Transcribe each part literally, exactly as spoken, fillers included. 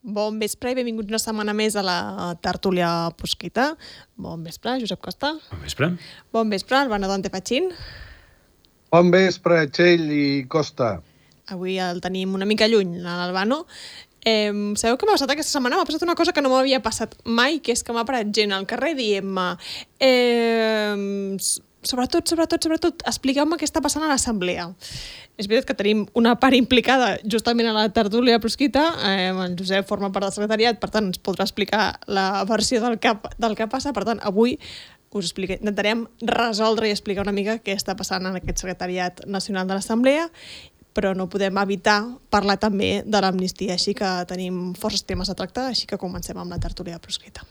Bon vespre i benvinguts una setmana més a la tertúlia Prosquita. Bon vespre, Josep Costa. Bon vespre. Bon vespre, Albano Dante Pachín. Bon vespre, Txell i Costa. Avui el tenim una mica lluny, l'Albano. Eh, sabeu què m'ha passat aquesta setmana? M'ha passat una cosa que no m'havia passat mai, que és que m'ha parat gent al carrer dient-me eh, sobretot, sobretot, sobretot, expliqueu-me què està passant a l'assemblea. És veritat que tenim una part implicada justament a la tertúlia Prosquita. Eh, el Josep forma part del secretariat, per tant ens podrà explicar la versió del que, del que passa. Per tant, avui us expliquem, intentarem resoldre i explicar una mica què està passant en aquest secretariat nacional de l'assemblea, però no podem evitar parlar també de l'amnistia, així que tenim forces temes a tractar, així que comencem amb la tertúlia Prosquita.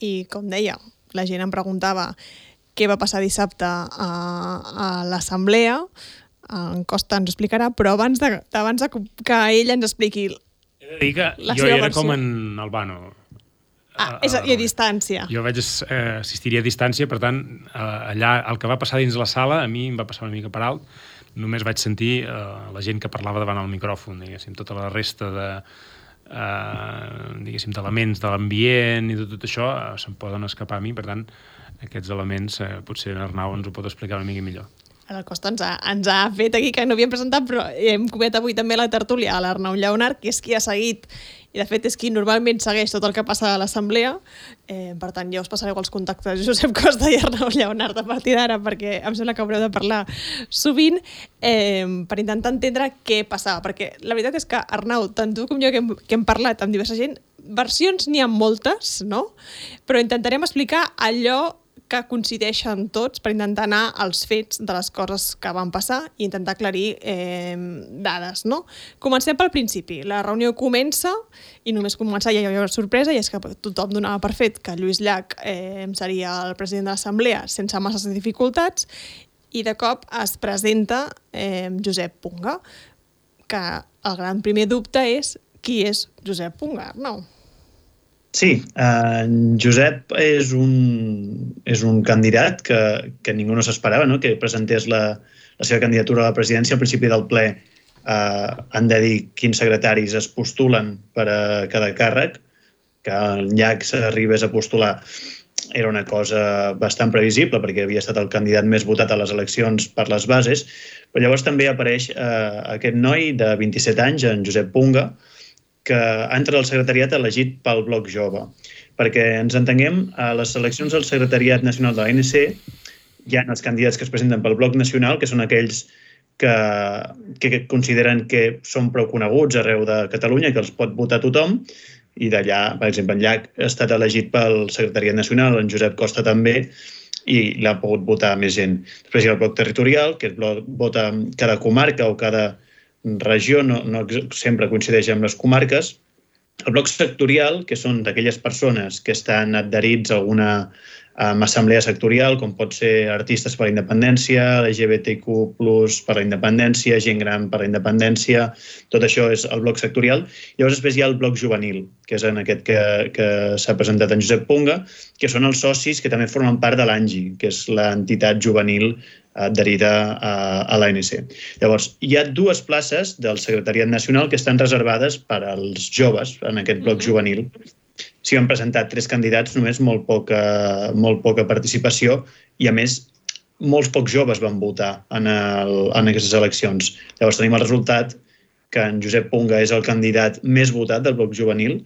I, com deia, la gent em preguntava què va passar dissabte a, a l'assemblea. En Costa ens explicarà, però abans de, abans de que ell ens expliqui He de dir que la jo seva era versió. Com en Albano. Ah, és a, i a distància. Jo vaig eh, assistir a distància, per tant, eh, allà el que va passar dins la sala, a mi em va passar una mica per alt. Només vaig sentir eh, la gent que parlava davant el micròfon, diguéssim, tota la resta de... Uh, diguéssim, d'elements de l'ambient i de tot això uh, se'n poden escapar a mi, per tant aquests elements uh, potser en Arnau ens ho pot explicar una mica millor. El Costa ens ha, ens ha fet aquí, que no havíem presentat, però hem convidat avui també a la tertúlia a l'Arnau Lleonart, que és qui ha seguit, i de fet és qui normalment segueix tot el que passa a l'assemblea. Eh, per tant, ja us passareu els contactes de Josep Costa i Arnau Lleonart a partir d'ara, perquè em sembla que haureu de parlar sovint, eh, per intentar entendre què passava. Perquè la veritat és que, Arnau, tant tu com jo que hem, que hem parlat amb diversa gent, versions n'hi ha moltes, no? Però intentarem explicar allò que coincideixen tots per intentar anar als fets de les coses que van passar i intentar aclarir eh, dades, no? Comencem pel principi. La reunió comença i només començar ja hi ha una sorpresa, i és que tothom donava per fet que Lluís Llach eh, seria el president de l'assemblea sense masses dificultats, i de cop es presenta eh, Josep Punga, que el gran primer dubte és qui és Josep Punga, no? Sí, uh, Josep és un, és un candidat que, que ningú no s'esperava, no? Que presentés la, la seva candidatura a la presidència. Al principi del ple uh, han de dir quins secretaris es postulen per a cada càrrec, que el Llach s'arribés a postular era una cosa bastant previsible perquè havia estat el candidat més votat a les eleccions per les bases, però llavors també apareix uh, aquest noi de vint-i-set anys, en Josep Punga, que entra al secretariat elegit pel Bloc Jove. Perquè ens entenguem, a les eleccions del secretariat nacional de l'A N C hi ha els candidats que es presenten pel Bloc Nacional, que són aquells que, que consideren que són prou coneguts arreu de Catalunya, que els pot votar tothom, i d'allà, per exemple, en Llach ha estat elegit pel secretariat nacional, en Josep Costa també, i l'ha pogut votar més gent. Després hi ha el Bloc Territorial, que vota cada comarca o cada regió, no, no sempre coincideix amb les comarques. El bloc sectorial, que són d'aquelles persones que estan adherits a alguna um, assemblea sectorial, com pot ser Artistes per la Independència, L G B T Q plus per la Independència, Gent Gran per la Independència, tot això és el bloc sectorial. Llavors després hi ha el bloc juvenil, que és en aquest que, que s'ha presentat en Josep Punga, que són els socis que també formen part de l'ANGI, que és l'entitat juvenil adherida a, a l'A N C. Llavors, hi ha dues places del secretariat nacional que estan reservades per als joves en aquest bloc mm-hmm. juvenil. S'hi han presentat tres candidats, només molt poca, molt poca participació, i a més, molts pocs joves van votar en, el, en aquestes eleccions. Llavors tenim el resultat que en Josep Punga és el candidat més votat del bloc juvenil.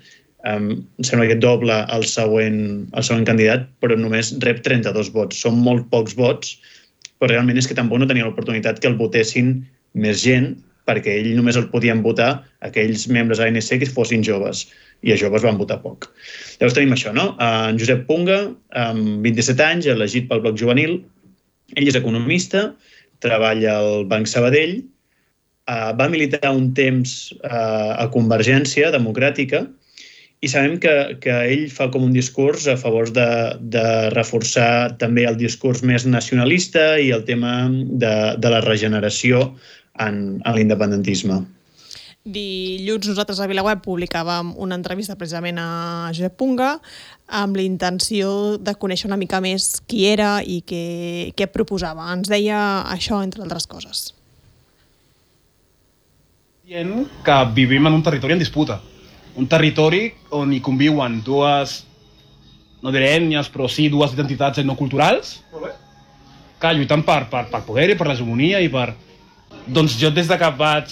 Um, em sembla que doble el següent, el següent candidat, però només rep trenta-dos vots. Són molt pocs vots, però realment és que tampoc no tenia l'oportunitat que el votessin més gent, perquè ell només el podien votar aquells membres de l'A N C que fossin joves, i a joves van votar poc. Llavors tenim això, no? En Josep Punga, amb vint-i-set anys, elegit pel bloc juvenil, ell és economista, treballa al Banc Sabadell, va militar un temps a Convergència Democràtica, i sabem que, que ell fa com un discurs a favor de, de reforçar també el discurs més nacionalista i el tema de, de la regeneració en, en l'independentisme. Dilluns nosaltres a VilaWeb publicàvem una entrevista precisament a Josep Punga amb la intenció de conèixer una mica més qui era i què, què proposava. Ens deia això, entre altres coses. Dient que vivim en un territori en disputa. Un territori on hi conviuen dues, no diré ètnies, però sí dues identitats etnoculturals que lluiten per, per, per poder i per l'hegemonia i per... Doncs jo des de que vaig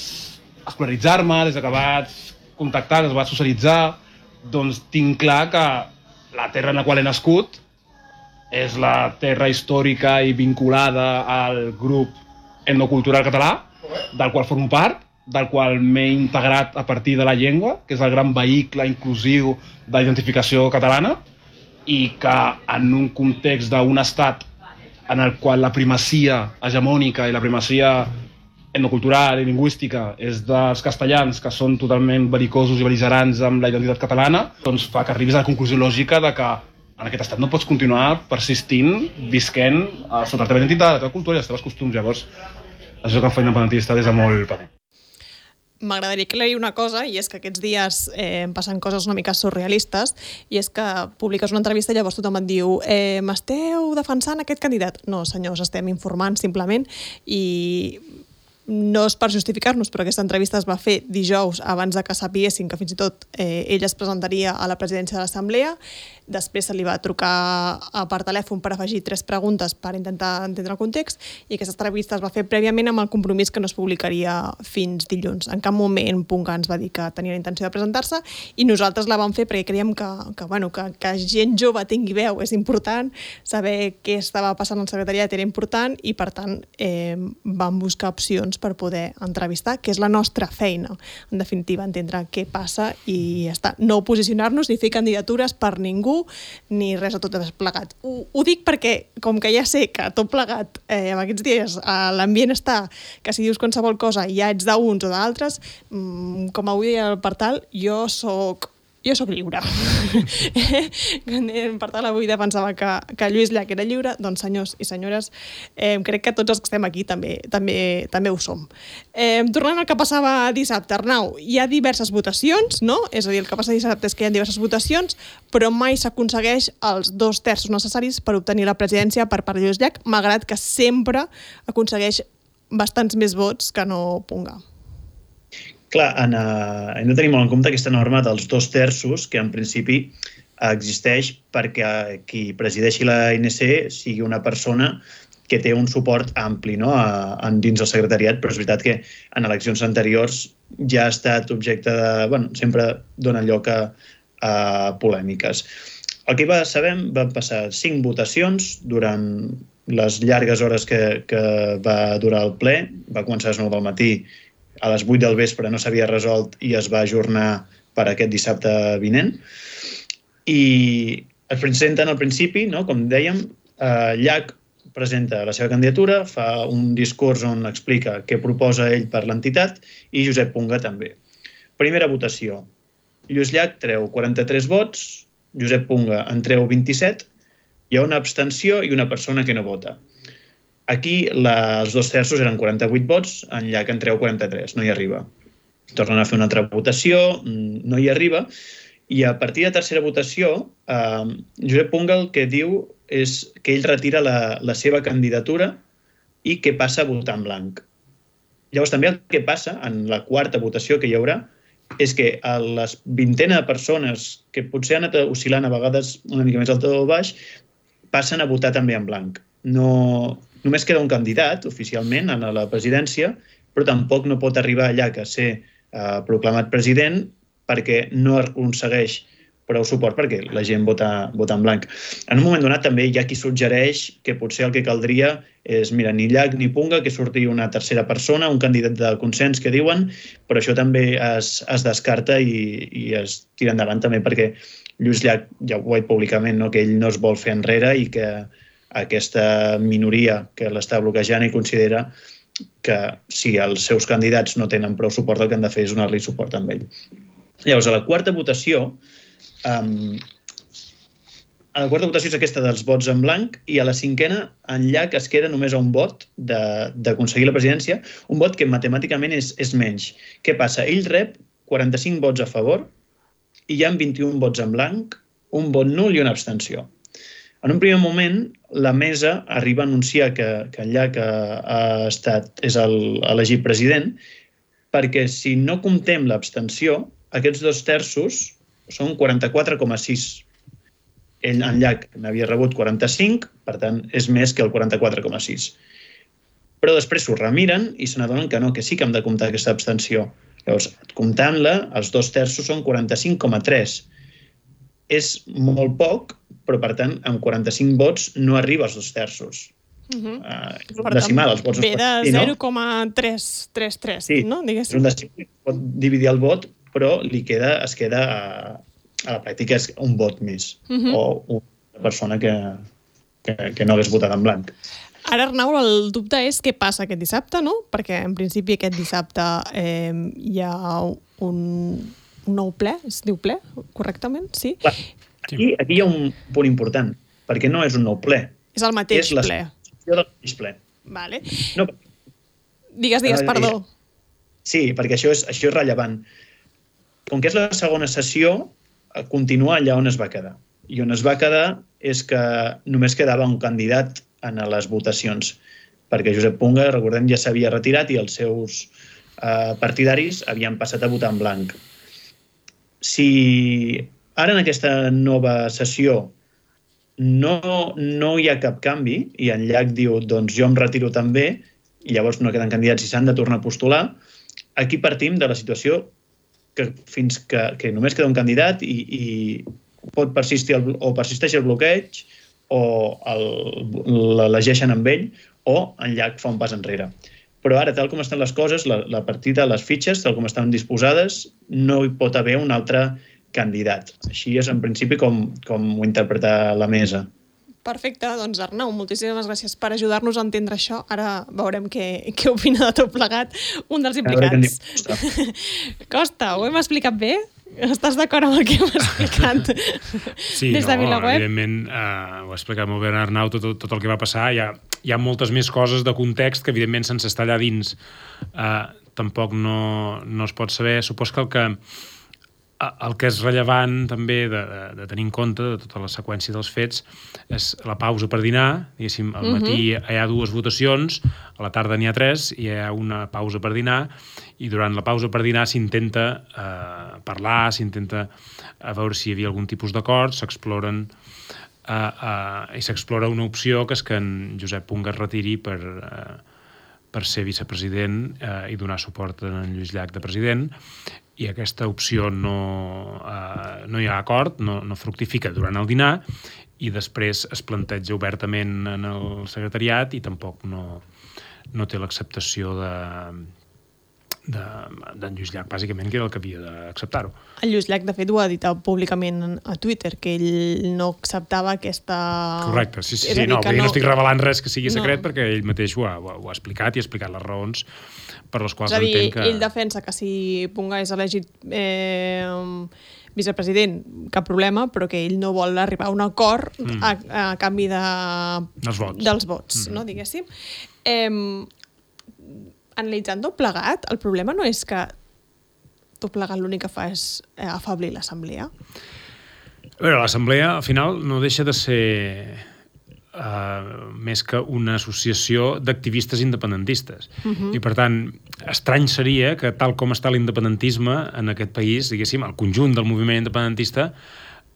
escolaritzar-me, des que vaig contactar, des que vaig socialitzar, doncs tinc clar que la terra en la qual he nascut és la terra històrica i vinculada al grup etnocultural català, del qual formo part, del qual m'he integrat a partir de la llengua, que és el gran vehicle inclusiu d'identificació catalana, i que en un context d'un estat en el qual la primacia hegemònica i la primacia etnocultural i lingüística és dels castellans, que són totalment belicosos i beligerants amb la identitat catalana, doncs fa que arribis a la conclusió lògica de que en aquest estat no pots continuar persistint, visquent sota la teva identitat, la teva cultura i els teus costums. Llavors, això que em fa independentista des de molt petit. M'agradaria aclarir una cosa, i és que aquests dies eh, em passen coses una mica surrealistes, i és que publiques una entrevista i llavors tothom et diu eh, m'esteu defensant aquest candidat? No, senyors, estem informant simplement, i no és per justificar-nos, però aquesta entrevista es va fer dijous abans de que sapiguessin que fins i tot eh, ell es presentaria a la presidència de l'Assemblea. Després se li va trucar per telèfon per afegir tres preguntes per intentar entendre el context, i aquesta entrevista es va fer prèviament amb el compromís que no es publicaria fins dilluns. En cap moment Punga ens va dir que tenia la intenció de presentar-se, i nosaltres la vam fer perquè creiem que, que, bueno, que, que gent jove tingui veu és important, saber què estava passant al secretariat era important, i per tant eh, vam buscar opcions per poder entrevistar, que és la nostra feina, en definitiva, entendre què passa i ja està. No posicionar-nos ni fer candidatures per ningú, ni res de tot plegat. Ho, ho dic perquè, com que ja sé que tot plegat eh, en aquests dies l'ambient està que si dius qualsevol cosa ja ets d'uns o d'altres, mmm, com avui deia el Partal, jo soc jo soc lliure. Per tant, avui defensava que, que Lluís Llach era lliure, doncs senyors i senyores, eh, crec que tots els que estem aquí també, també, també ho som. Eh, tornant al que passava dissabte, Arnau, hi ha diverses votacions, no? És a dir, el que passa dissabte és que hi ha diverses votacions, però mai s'aconsegueix els dos terços necessaris per obtenir la presidència per part de Lluís Llach, malgrat que sempre aconsegueix bastants més vots que no Punga. Clar, en, uh, hem de tenir molt en compte aquesta norma dels dos terços, que en principi existeix perquè qui presideixi la A N C sigui una persona que té un suport ampli, no?, a, a, dins el secretariat, però és veritat que en eleccions anteriors ja ha estat objecte de... Bueno, sempre dona lloc a, a polèmiques. El que va, sabem, van passar cinc votacions durant les llargues hores que, que va durar el ple. Va començar a les nou del matí, a les vuit del vespre no s'havia resolt i es va ajornar per aquest dissabte vinent. I es presenten al principi, no? Com dèiem, eh, Llach presenta la seva candidatura, fa un discurs on explica què proposa ell per l'entitat, i Josep Punga també. Primera votació. Lluís Llach treu quaranta-tres vots, Josep Punga en treu vint-i-set, hi ha una abstenció i una persona que no vota. Aquí la, els dos terços eren quaranta-vuit vots, en Llach en treu quaranta-tres, no hi arriba. Tornen a fer una altra votació, no hi arriba, i a partir de la tercera votació, eh, Josep Punga el que diu és que ell retira la, la seva candidatura i que passa a votar en blanc. Llavors també el que passa en la quarta votació que hi haurà és que a les vintena de persones que potser han anat oscil·lant a vegades una mica més alta o baix, passen a votar també en blanc. No... Només queda un candidat, oficialment, a la presidència, però tampoc no pot arribar allà a ser eh, proclamat president perquè no aconsegueix prou suport perquè la gent vota, vota en blanc. En un moment donat també hi ha qui suggereix que potser el que caldria és, mira, ni Llach ni Punga, que surti una tercera persona, un candidat de consens que diuen, però això també es, es descarta i, i es tira endavant també perquè Lluís Llach ja ho ha dit públicament, no?, que ell no es vol fer enrere i que aquesta minoria que l'està bloquejant i considera que si els seus candidats no tenen prou suport, el que han de fer és donar-li suport amb ell. Llavors, a la quarta votació, um, a la quarta votació és aquesta dels vots en blanc i a la cinquena en Llach es queda només a un vot d'aconseguir la presidència, un vot que matemàticament és, és menys. Què passa? Ell rep quaranta-cinc vots a favor i hi ha vint-i-un vots en blanc, un vot nul i una abstenció. En un primer moment, la mesa arriba a anunciar que, que en Llach ha, ha estat, és el, elegit president, perquè si no comptem l'abstenció, aquests dos terços són quaranta-quatre coma sis. Ell, en Llach, n'havia rebut quaranta-cinc, per tant, és més que el quaranta-quatre coma sis. Però després s'ho remiren i se n'adonen que no, que sí que hem de comptar aquesta abstenció. Llavors, comptant-la, els dos terços són quaranta-cinc coma tres. És molt poc, però, per tant, amb quaranta-cinc vots no arriba als dos terços. Uh-huh. uh, decimal, els vots ve de zero coma tres trenta tres, sí, no? És un decimal, pot dividir el vot, però li queda, es queda a, a la pràctica és un vot més, uh-huh. o una persona que, que, que no hagués votat en blanc. Ara, Arnau, el dubte és què passa aquest dissabte, no? Perquè, en principi, aquest dissabte eh, hi ha un, un nou ple, es diu ple, correctament? Sí? Clar. Aquí, aquí hi ha un punt important, perquè no és un nou ple. És el mateix és la ple. del mateix ple. Vale. No, digues, digues, perdó. Sí, perquè això és, això és rellevant. Com que és la segona sessió, continua allà on es va quedar. I on es va quedar és que només quedava un candidat en les votacions, perquè Josep Punga, recordem, ja s'havia retirat i els seus eh, partidaris havien passat a votar en blanc. Si ara en aquesta nova sessió no, no hi ha cap canvi i en Llach diu doncs jo em retiro també i llavors no queden candidats i s'han de tornar a postular, aquí partim de la situació que fins que, que només queda un candidat i, i pot persistir el, o persisteix el bloqueig o l'elegeixen amb ell o en Llach fa un pas enrere. Però ara, tal com estan les coses, la, la partida, les fitxes, tal com estan disposades, no hi pot haver un altre candidat. Així és, en principi, com, com ho interpreta la mesa. Perfecte, doncs Arnau, moltíssimes gràcies per ajudar-nos a entendre això. Ara veurem què, què opina de tot plegat un dels implicats. Costa, ho hem explicat bé? Estàs d'acord amb el que hem explicat sí, des de no, VilaWeb? Evidentment, eh, ho ha explicat molt bé Arnau, tot, tot el que va passar. Hi ha, hi ha moltes més coses de context que, evidentment, sense estar allà dins eh, tampoc no, no es pot saber. Supos que el que el que és rellevant també de, de, de tenir en compte de tota la seqüència dels fets és la pausa per dinar. Diguéssim, al matí uh-huh. hi ha dues votacions, a la tarda n'hi ha tres, i hi ha una pausa per dinar, i durant la pausa per dinar s'intenta eh, parlar, s'intenta a veure si hi havia algun tipus d'acord, s'exploren eh, eh, i s'explora una opció que és que en Josep Punga es retiri per, eh, per ser vicepresident eh, i donar suport a en Lluís Llach de president, i aquesta opció no, eh, no hi ha acord, no, no fructifica durant el dinar i després es planteja obertament en el secretariat i tampoc no, no té l'acceptació de, de, d'en Lluís Llach, bàsicament, que era el que havia d'acceptar-ho. El Lluís Llach, de fet, ho ha dit públicament a Twitter, que ell no acceptava aquesta... Correcte, sí, sí, sí no, no... no estic revelant res que sigui secret no. perquè ell mateix ho ha, ho ha explicat i ha explicat les raons per les quals és a dir, entenc que... ell defensa que si Punga és elegit eh, vicepresident, cap problema, però que ell no vol arribar a un acord mm. a, a canvi de... dels vots, dels vots mm-hmm. no, diguéssim. Eh, analitzant tot plegat, el problema no és que tot plegat l'únic que fa és afablir l'assemblea. A veure, l'assemblea al final no deixa de ser uh, més que una associació d'activistes independentistes. Uh-huh. I per tant, estrany seria que tal com està l'independentisme en aquest país, diguéssim, el conjunt del moviment independentista,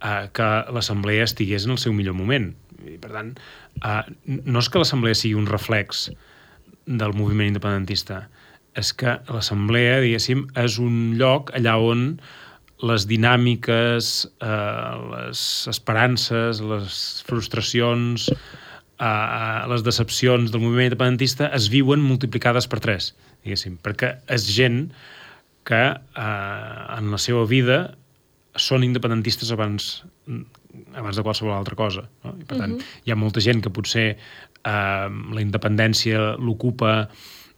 uh, que l'assemblea estigués en el seu millor moment. I per tant, uh, no és que l'assemblea sigui un reflex del moviment independentista, és que l'assemblea, diguéssim, és un lloc allà on les dinàmiques, eh, les esperances, les frustracions, eh, les decepcions del moviment independentista es viuen multiplicades per tres, diguéssim, perquè és gent que eh, en la seva vida són independentistes abans, abans de qualsevol altra cosa. No? I per tant, uh-huh. hi ha molta gent que potser eh, la independència l'ocupa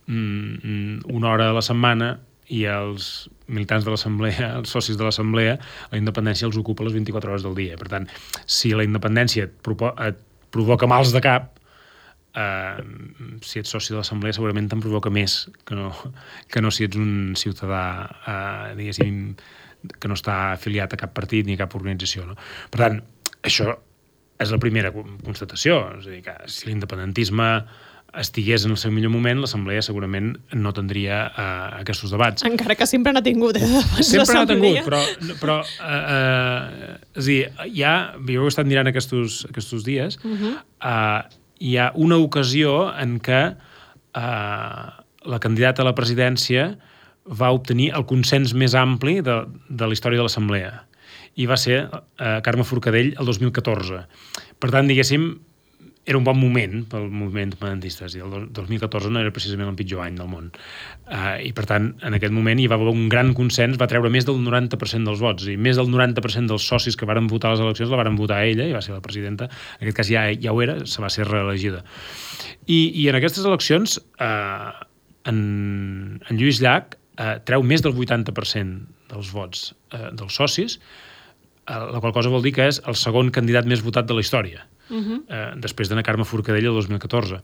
mm, una hora a la setmana i els militants de l'Assemblea, els socis de l'Assemblea, la independència els ocupa les vint-i-quatre hores del dia. Per tant, si la independència et, propo- et provoca mals de cap, eh, si ets soci de l'Assemblea segurament te'n provoca més que no, que no si ets un ciutadà, eh, diguéssim, que no està afiliat a cap partit ni a cap organització. No? Per tant, això és la primera constatació. És a dir, que si l'independentisme estigués en el seu millor moment, l'Assemblea segurament no tindria uh, aquests debats. Encara que sempre n'ha tingut, eh? Sempre n'ha tingut, però, però uh, uh, és a dir, hi ha, jo he estat mirant aquests, aquests dies, uh-huh. uh, hi ha una ocasió en què uh, la candidata a la presidència va obtenir el consens més ampli de, de la història de l'Assemblea, i va ser uh, Carme Forcadell el dos mil catorze. Per tant, diguéssim, era un bon moment pel moviment independentista. El dos mil catorze no era precisament el pitjor any del món. Uh, I, per tant, en aquest moment hi va haver un gran consens, va treure més del noranta per cent dels vots, i més del noranta per cent dels socis que varen votar a les eleccions la varen votar a ella, i va ser la presidenta. En aquest cas ja, ja ho era, se va ser reelegida. I, i en aquestes eleccions, uh, en, en Lluís Llach uh, treu més del vuitanta per cent dels vots uh, dels socis, uh, la qual cosa vol dir que és el segon candidat més votat de la història. Uh-huh. Uh, després d'Anna Carme Forcadell el dos mil catorze.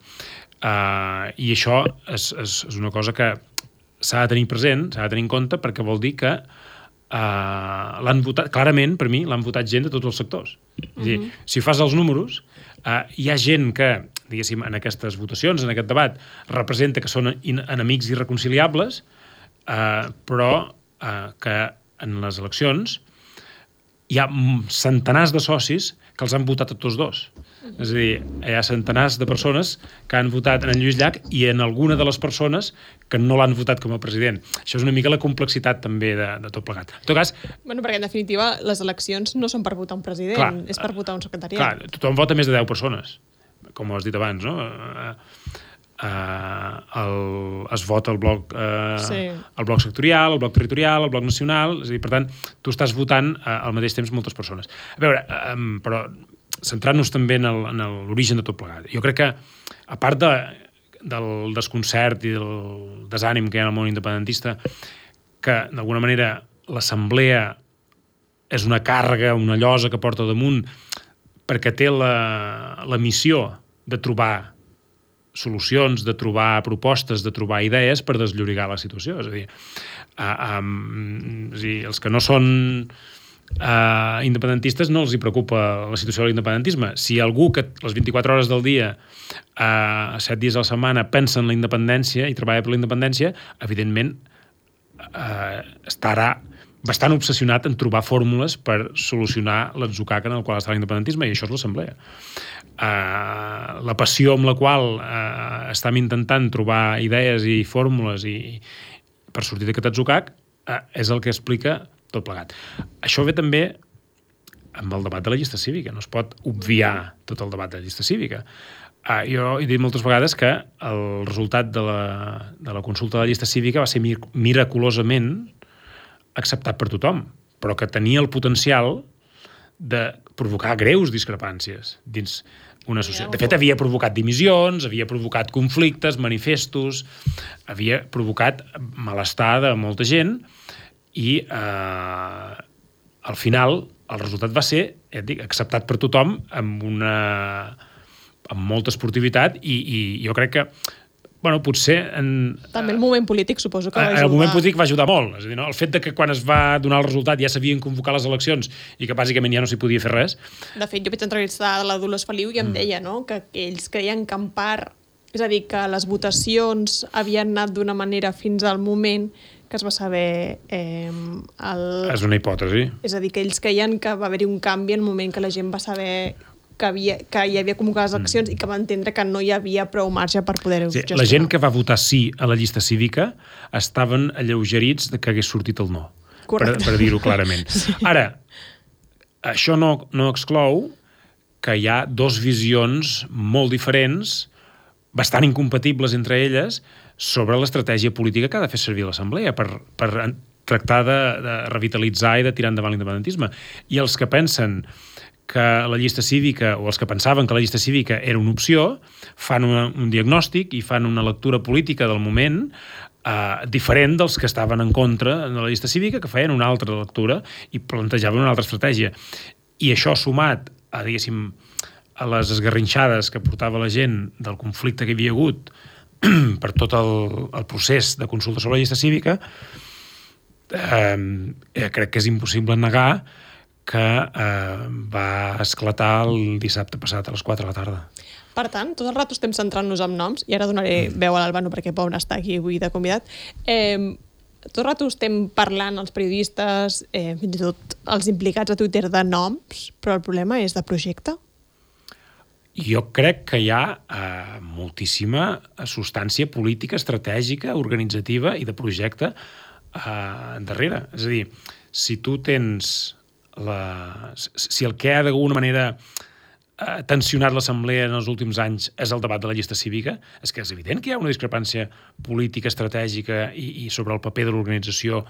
Uh, I això és, és, és una cosa que s'ha de tenir present, s'ha de tenir en compte, perquè vol dir que uh, l'han votat, clarament, per mi, l'han votat gent de tots els sectors. Uh-huh. És a dir, si fas els números, uh, hi ha gent que, diguéssim, en aquestes votacions, en aquest debat, representa que són in- enemics irreconciliables, uh, però uh, que en les eleccions hi ha centenars de socis que els han votat a tots dos. És a dir, hi ha centenars de persones que han votat en Lluís Llach i en alguna de les persones que no l'han votat com a president. Això és una mica la complexitat també de, de tot plegat. En tot cas... Bueno, perquè en definitiva les eleccions no són per votar un president, clar, és per votar un secretariat. Clar, tothom vota més de deu persones, com has dit abans, no? Uh, el, es vota el bloc, uh, sí. el bloc sectorial, el bloc territorial, el bloc nacional, és a dir, per tant, tu estàs votant uh, al mateix temps moltes persones. A veure, um, però centrant-nos també en l'origen de tot plegat. Jo crec que, a part de, del desconcert i del desànim que hi ha en el món independentista, que d'alguna manera l'assemblea és una càrrega, una llosa que porta damunt perquè té la, la missió de trobar solucions, de trobar propostes, de trobar idees per desllorigar la situació. És a dir, uh, um, és a dir els que no són uh, independentistes no els hi preocupa la situació de l'independentisme. Si algú que les vint-i-quatre hores del dia, uh, set dies a la setmana, pensa en la independència i treballa per la independència, evidentment uh, estarà bastant obsessionat en trobar fórmules per solucionar l'atzucac en el qual està l'independentisme, i això és l'assemblea. Uh, la passió amb la qual uh, estem intentant trobar idees i fórmules i, per sortir d'aquest atzucac uh, és el que explica tot plegat. Això ve també amb el debat de la llista cívica. No es pot obviar tot el debat de la llista cívica. Uh, jo he dit moltes vegades que el resultat de la, de la consulta de la llista cívica va ser mir miraculosament acceptat per tothom, però que tenia el potencial de provocar greus discrepàncies dins una societat. De fet, havia provocat dimissions, havia provocat conflictes, manifestos, havia provocat malestar de molta gent i eh, al final el resultat va ser, ja et dic, acceptat per tothom amb una amb molta esportivitat i, i jo crec que bueno, potser... En, també el moment polític suposo que va ajudar. El moment polític va ajudar molt. És a dir, no? El fet de que quan es va donar el resultat ja s'havien convocat les eleccions i que bàsicament ja no s'hi podia fer res. De fet, jo vaig entrevistar a la Dolors Feliu i em mm. deia, no?, que ells creien que en part, és a dir, que les votacions havien anat d'una manera fins al moment que es va saber... Eh, el... És una hipòtesi. És a dir, que ells creien que va haver-hi un canvi en el moment que la gent va saber... Que, havia, que hi havia convocat les eleccions mm. i que va entendre que no hi havia prou marge per poder-ho sí, gestionar. La gent que va votar sí a la llista cívica estaven alleugerits de que hagués sortit el no. Correcte. Per, per dir-ho clarament. Sí. Ara, això no, no exclou que hi ha dos visions molt diferents, bastant incompatibles entre elles, sobre l'estratègia política que ha de fer servir l'Assemblea per, per tractar de, de revitalitzar i de tirar endavant l'independentisme. I els que pensen que la llista cívica, o els que pensaven que la llista cívica era una opció, fan una, un diagnòstic i fan una lectura política del moment uh, diferent dels que estaven en contra de la llista cívica, que feien una altra lectura i plantejaven una altra estratègia. I això sumat a, diguéssim, a les esgarrinxades que portava la gent del conflicte que hi havia hagut per tot el, el procés de consulta sobre la llista cívica, eh, crec que és impossible negar que eh, va esclatar el dissabte passat a les quatre de la tarda. Per tant, tot el rato estem centrant-nos en noms, i ara donaré mm. veu a l'Albano perquè Pau n'està aquí avui de convidat. Eh, tot el rato estem parlant els periodistes, eh, fins i tot els implicats a Twitter, de noms, però el problema és de projecte? Jo crec que hi ha eh, moltíssima substància política, estratègica, organitzativa i de projecte eh, darrere. És a dir, si tu tens la... si el que ha d'alguna manera eh, tensionat l'Assemblea en els últims anys és el debat de la llista cívica, és que és evident que hi ha una discrepància política, estratègica i, i sobre el paper de l'organització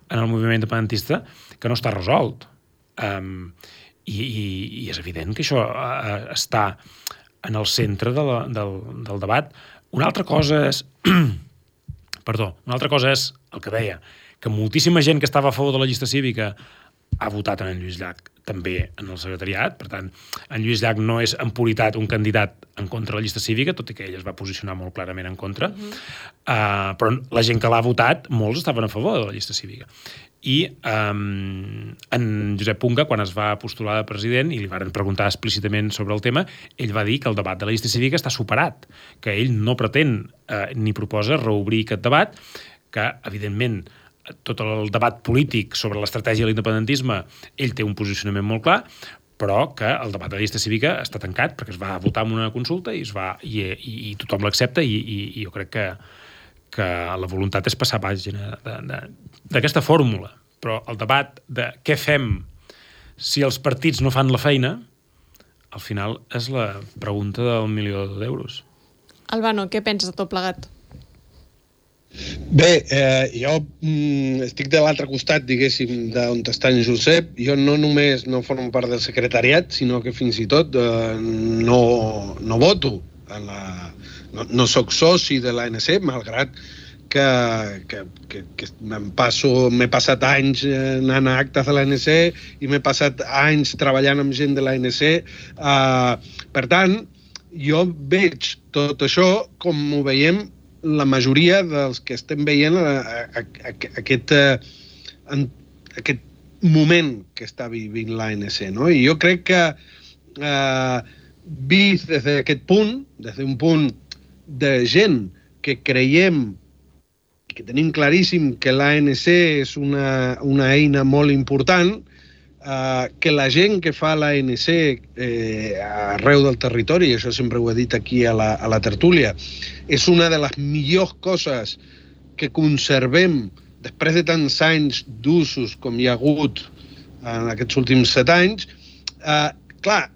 en el moviment independentista que no està resolt. Um, i, i, i és evident que això uh, està en el centre de la, del, del debat. Una altra cosa és perdó, una altra cosa és el que deia, que moltíssima gent que estava a favor de la llista cívica ha votat en Lluís Llach també en el secretariat. Per tant, en Lluís Llach no és en puritat un candidat en contra de la llista cívica, tot i que ell es va posicionar molt clarament en contra. Uh-huh. uh, però la gent que l'ha votat, molts estaven a favor de la llista cívica. I um, en Josep Punga, quan es va postular de president i li van preguntar explícitament sobre el tema, ell va dir que el debat de la llista cívica està superat, que ell no pretén uh, ni proposa reobrir aquest debat, que, evidentment, tot el debat polític sobre l'estratègia de l'independentisme, ell té un posicionament molt clar, però que el debat de la llista cívica està tancat perquè es va votar en una consulta i, es va, i, i, i tothom l'accepta i, i, i jo crec que, que la voluntat és passar pàgina d'aquesta fórmula. Però el debat de què fem si els partits no fan la feina, al final és la pregunta del milió d'euros. Albano, què penses de tot plegat? Bé, eh, jo mm, estic de l'altre costat, diguéssim, d'on està en Josep. Jo no només no formo part del secretariat, sinó que fins i tot eh, no, no voto. En la, no, no soc soci de l'A N C, malgrat que, que, que, que me'n passo, m'he passat anys anant a actes de l'A N C i m'he passat anys treballant amb gent de l'A N C. Eh, per tant, jo veig tot això com ho veiem la majoria dels que estem veient a, a, a, aquest, a, aquest moment que està vivint l'A N C, no? I jo crec que eh, vist des d'aquest punt, des d'un punt de gent que creiem, que tenim claríssim que l'A N C és una, una eina molt important, Uh, que la gent que fa l'A N C eh, arreu del territori, això sempre ho he dit aquí a la, a la tertúlia, és una de les millors coses que conservem després de tants anys d'usos com hi ha hagut en aquests últims set anys. Uh, clar,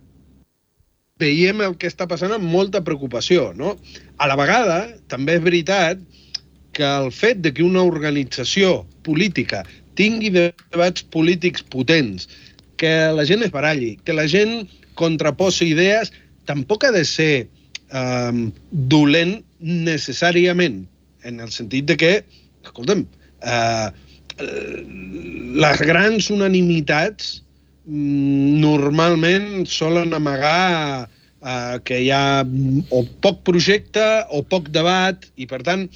veiem el que està passant amb molta preocupació, no? A la vegada, també és veritat que el fet de que una organització política tingui debats polítics potents, que la gent es baralli, que la gent contraposi idees, tampoc ha de ser eh, dolent necessàriament, en el sentit de que, escolta'm, eh, les grans unanimitats normalment solen amagar eh, que hi ha o poc projecte o poc debat, i per tant,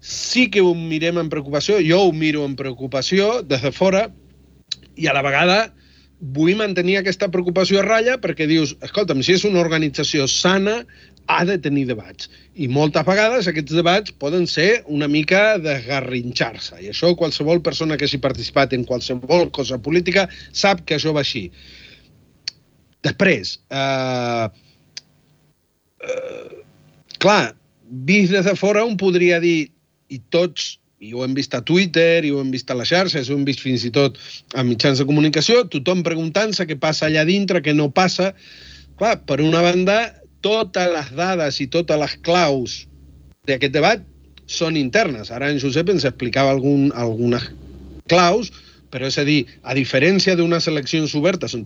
sí que ho mirem amb preocupació, jo ho miro amb preocupació des de fora, i a la vegada vull mantenir aquesta preocupació a ratlla perquè dius, escolta'm, si és una organització sana, ha de tenir debats. I moltes vegades aquests debats poden ser una mica desgarrinxar-se. I això qualsevol persona que hagi participat en qualsevol cosa política sap que això va així. Després, eh, eh, clar, vist des de fora un podria dir, i tots, i ho hem vist a Twitter, i ho hem vist a les xarxes, ho hem vist fins i tot a mitjans de comunicació, tothom preguntant-se què passa allà dintre, què no passa. Clar, per una banda, totes les dades i totes les claus d'aquest debat són internes. Ara en Josep ens explicava algun, algunes claus, però és a dir, a diferència d'unes eleccions obertes on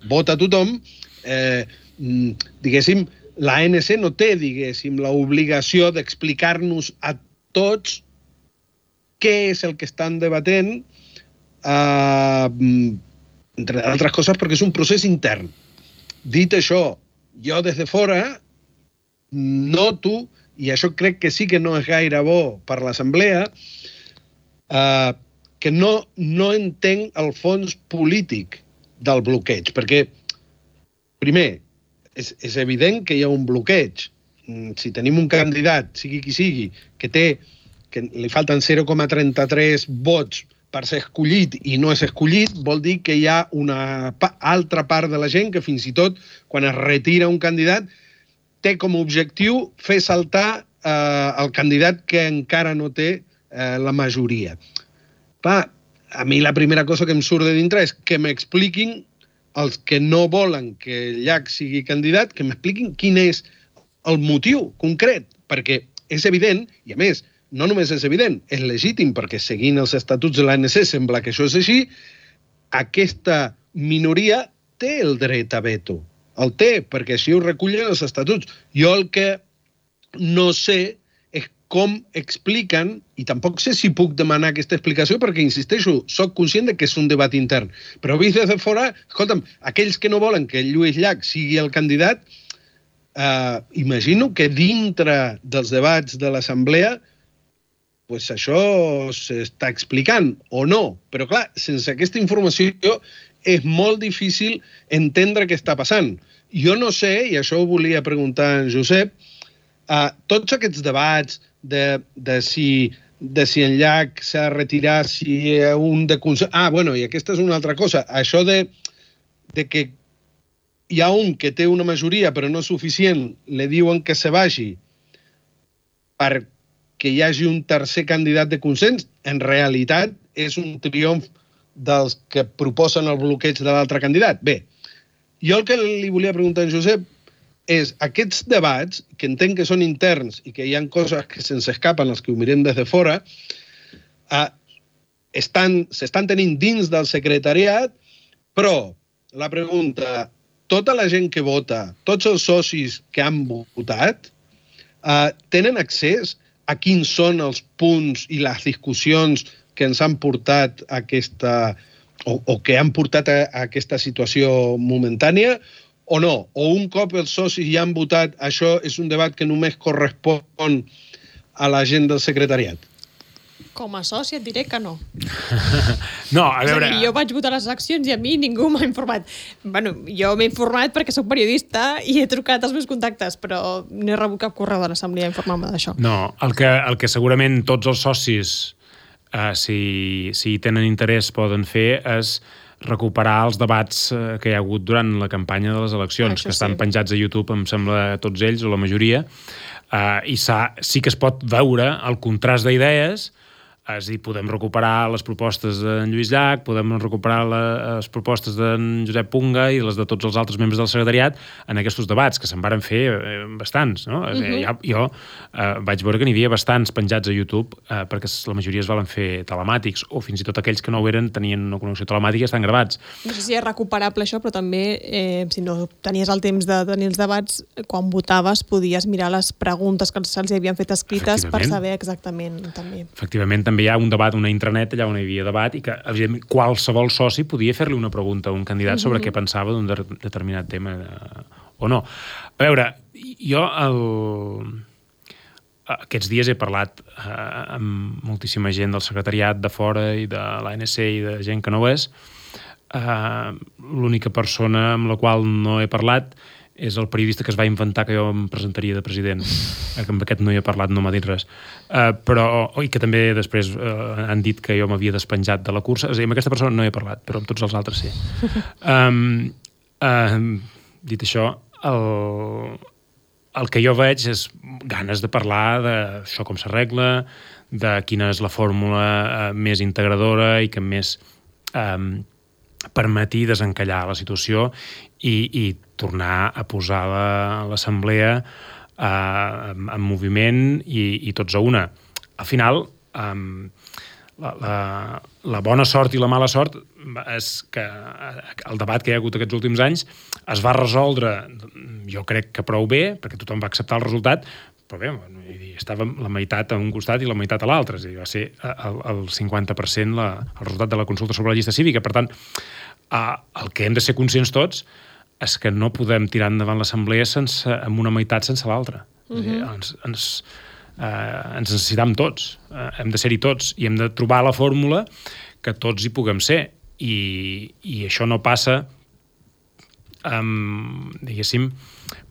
vota tothom, eh, diguéssim, l'A N C no té, diguéssim, l'obligació d'explicar-nos a tots què és el que estan debatent, eh, entre altres coses perquè és un procés intern. Dit això, jo des de fora noto, i això crec que sí que no és gaire bo per l'Assemblea, eh, que no, no entenc el fons polític del bloqueig, perquè, primer, és, és evident que hi ha un bloqueig. Si tenim un candidat, sigui qui sigui, que té que li falten zero coma trenta-tres vots per ser escollit i no és escollit, vol dir que hi ha una pa- altra part de la gent que fins i tot, quan es retira un candidat, té com a objectiu fer saltar eh, el candidat que encara no té eh, la majoria. Clar, a mi la primera cosa que em surt de dintre és que m'expliquin els que no volen que Llach sigui candidat, que m'expliquin quin és el motiu concret, perquè és evident, i a més, no només és evident, és legítim, perquè seguint els estatuts de l'A N C sembla que això és així, aquesta minoria té el dret a veto. El té, perquè així ho recullen els estatuts. Jo el que no sé és com expliquen, i tampoc sé si puc demanar aquesta explicació, perquè, insisteixo, soc conscient de que és un debat intern. Però vist des de fora, escolta'm, aquells que no volen que Lluís Llach sigui el candidat, Uh, imagino que dintre dels debats de l'Assemblea pues això s'està explicant o no, però clar, sense aquesta informació és molt difícil entendre què està passant. Jo no sé, i això ho volia preguntar a en Josep, uh, tots aquests debats de, de si de si en Llach s'ha de retirar, si un de consens... Ah, bueno, i aquesta és una altra cosa. Això de, de que hi ha un que té una majoria però no suficient, li diuen que se vagi perquè hi hagi un tercer candidat de consens, en realitat és un triomf dels que proposen el bloqueig de l'altre candidat. Bé, jo el que li volia preguntar a en Josep és aquests debats, que entenc que són interns i que hi ha coses que se'ns escapen els que ho mirem des de fora, eh, estan, s'estan tenint dins del secretariat, però la pregunta... Tota la gent que vota, tots els socis que han votat, eh, tenen accés a quins són els punts i les discussions que ens han portat a aquesta, o, o que han portat a, a aquesta situació momentània, o no? O un cop els socis ja han votat, això és un debat que només correspon a la gent del secretariat? Com a soci et diré que no. No, a veure... És a dir, jo vaig votar les accions i a mi ningú m'ha informat. Bueno, jo m'he informat perquè sóc periodista i he trucat als meus contactes, però no he rebut cap correu de l'Assemblea a informar-me d'això. No, el que, el que segurament tots els socis, eh, si, si tenen interès, poden fer és recuperar els debats eh, que hi ha hagut durant la campanya de les eleccions, Això que estan sí. penjats a YouTube, em sembla, tots ells, o la majoria, eh, i sí que es pot veure el contrast d'idees. És a dir, podem recuperar les propostes d'en Lluís Llach, podem recuperar les propostes d'en Josep Punga i les de tots els altres membres del secretariat en aquests debats, que se'n varen fer eh, bastants. No? Uh -huh. ja, jo eh, vaig veure que n'hi havia bastants penjats a YouTube eh, perquè la majoria es valen fer telemàtics, o fins i tot aquells que no ho eren tenien una connexió telemàtica i estan gravats. No sé si és recuperable això, però també, eh, si no tenies el temps de tenir els debats, quan votaves podies mirar les preguntes que se'ls havien fet escrites per saber exactament també. Efectivament, també hi ha un debat, una intranet allà on hi havia debat i que, evidentment, qualsevol soci podia fer-li una pregunta a un candidat sobre mm-hmm. què pensava d'un de determinat tema de... o no. A veure, jo el... aquests dies he parlat eh, amb moltíssima gent del secretariat de fora i de l'A N C i de gent que no ho és. Eh, l'única persona amb la qual no he parlat és el periodista que es va inventar que jo em presentaria de president. Amb aquest no hi he parlat, no m'ha dit res. Uh, però, i que també després uh, han dit que jo m'havia despenjat de la cursa. És a dir, amb aquesta persona no he parlat, però amb tots els altres sí. um, uh, dit això, el, el que jo veig és ganes de parlar d'això com s'arregla, de quina és la fórmula uh, més integradora i que més um, permeti desencallar la situació i, i tornar a posar l'assemblea eh, en, en moviment i, i tots a una. Al final, eh, la, la, la bona sort i la mala sort és que el debat que hi ha hagut aquests últims anys es va resoldre, jo crec que prou bé, perquè tothom va acceptar el resultat, però bé, estàvem la meitat a un costat i la meitat a l'altre, és a dir, va ser el, el cinquanta per cent la, el resultat de la consulta sobre la llista cívica. Per tant, eh, el que hem de ser conscients tots és que no podem tirar endavant l'assemblea sense, amb una meitat sense l'altra. Uh-huh. És a dir, ens, ens, eh, ens necessitam tots, eh, hem de ser-hi tots i hem de trobar la fórmula que tots hi puguem ser. I, i això no passa um, diguéssim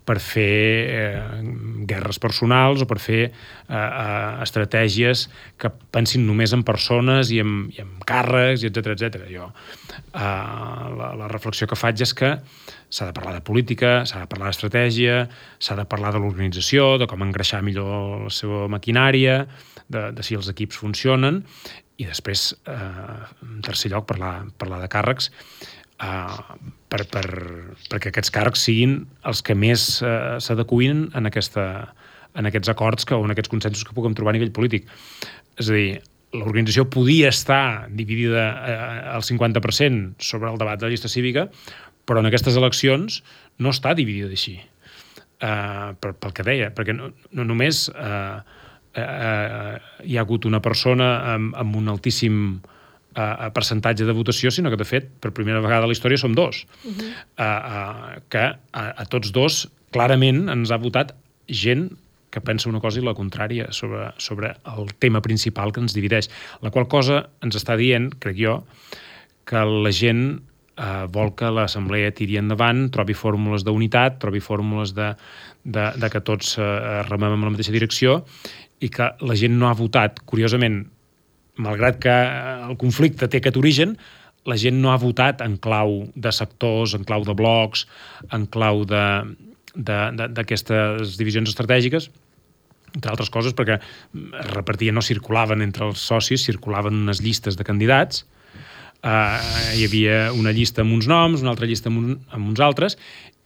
per fer eh, guerres personals o per fer eh, eh, estratègies que pensin només en persones i en, i en càrrecs, i etcètera, etcètera. Jo, eh, la, la reflexió que faig és que s'ha de parlar de política, s'ha de parlar d'estratègia, s'ha de parlar de l'organització, de com engreixar millor la seva maquinària, de, de si els equips funcionen, i després, eh, en tercer lloc, parlar, parlar de càrrecs, eh, per, per, perquè aquests càrrecs siguin els que més eh, s'adecuïn en, aquesta, en aquests acords que, o en aquests consensos que puguem trobar a nivell polític. És a dir, l'organització podia estar dividida eh, al cinquanta per cent sobre el debat de la llista cívica, però en aquestes eleccions no està dividida així. Eh, per, pel que deia, perquè no, no només... Eh, Eh, hi ha hagut una persona amb, amb un altíssim eh, percentatge de votació, sinó que, de fet, per primera vegada a la història som dos. Uh-huh. eh, eh, que a, a tots dos, clarament, ens ha votat gent que pensa una cosa i la contrària sobre, sobre el tema principal que ens divideix. La qual cosa ens està dient, crec jo, que la gent eh, vol que l'assemblea tiri endavant, trobi fórmules d'unitat, trobi fórmules de, de, de que tots eh, remem en la mateixa direcció, i que la gent no ha votat, curiosament, malgrat que el conflicte té aquest origen, la gent no ha votat en clau de sectors, en clau de blocs, en clau d'aquestes divisions estratègiques, entre altres coses perquè es repartien, no circulaven entre els socis, circulaven unes llistes de candidats, uh, hi havia una llista amb uns noms, una altra llista amb, un, amb uns altres,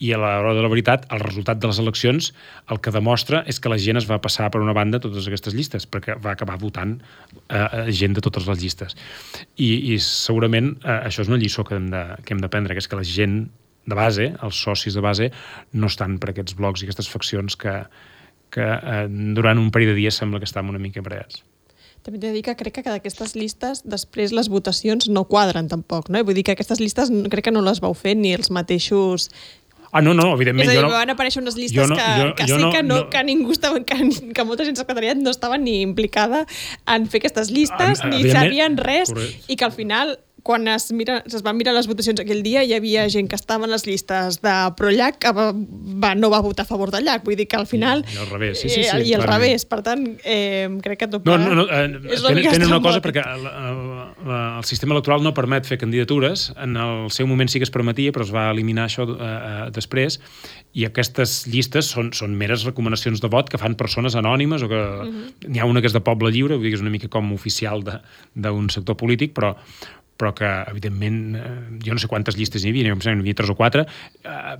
i a l'hora de la veritat, el resultat de les eleccions el que demostra és que la gent es va passar per una banda totes aquestes llistes, perquè va acabar votant eh, gent de totes les llistes. I, i segurament eh, això és una lliçó que hem, de, que hem d'aprendre, que és que la gent de base, els socis de base, no estan per aquests blocs i aquestes faccions que, que eh, durant un parell de dies sembla que estan una mica emparellats. També t'he de dir que crec que d'aquestes llistes després les votacions no quadren tampoc, no? Vull dir que aquestes llistes crec que no les vau fer ni els mateixos... Ah, no, no, evidentment. És a dir, jo no, van aparèixer unes llistes no, que, jo, que jo sí no, que, no, no, que ningú estava, que, que molta gent secretariat no estava ni implicada en fer aquestes llistes, ah, ni sabien res, correcte. I que al final, quan es, mira, es van mirar les votacions aquell dia, hi havia gent que estava en les llistes de pro-llac que va, va, no va votar a favor del llac. Vull dir que al final... I, i al revés, sí, sí, sí. Eh, I al clarament. revés. Per tant, eh, crec que tot no, no, no, eh, és una tenen, tenen una cosa, estrambòtic. perquè el, el, el, el sistema electoral no permet fer candidatures. En el seu moment sí que es permetia, però es va eliminar això eh, eh, després. I aquestes llistes són, són meres recomanacions de vot que fan persones anònimes o que uh-huh. N'hi ha una que és de Poble Lliure, vull dir que és una mica com oficial d'un sector polític, però però que, evidentment, eh, jo no sé quantes llistes hi havia, n'hi havia tres o quatre, eh,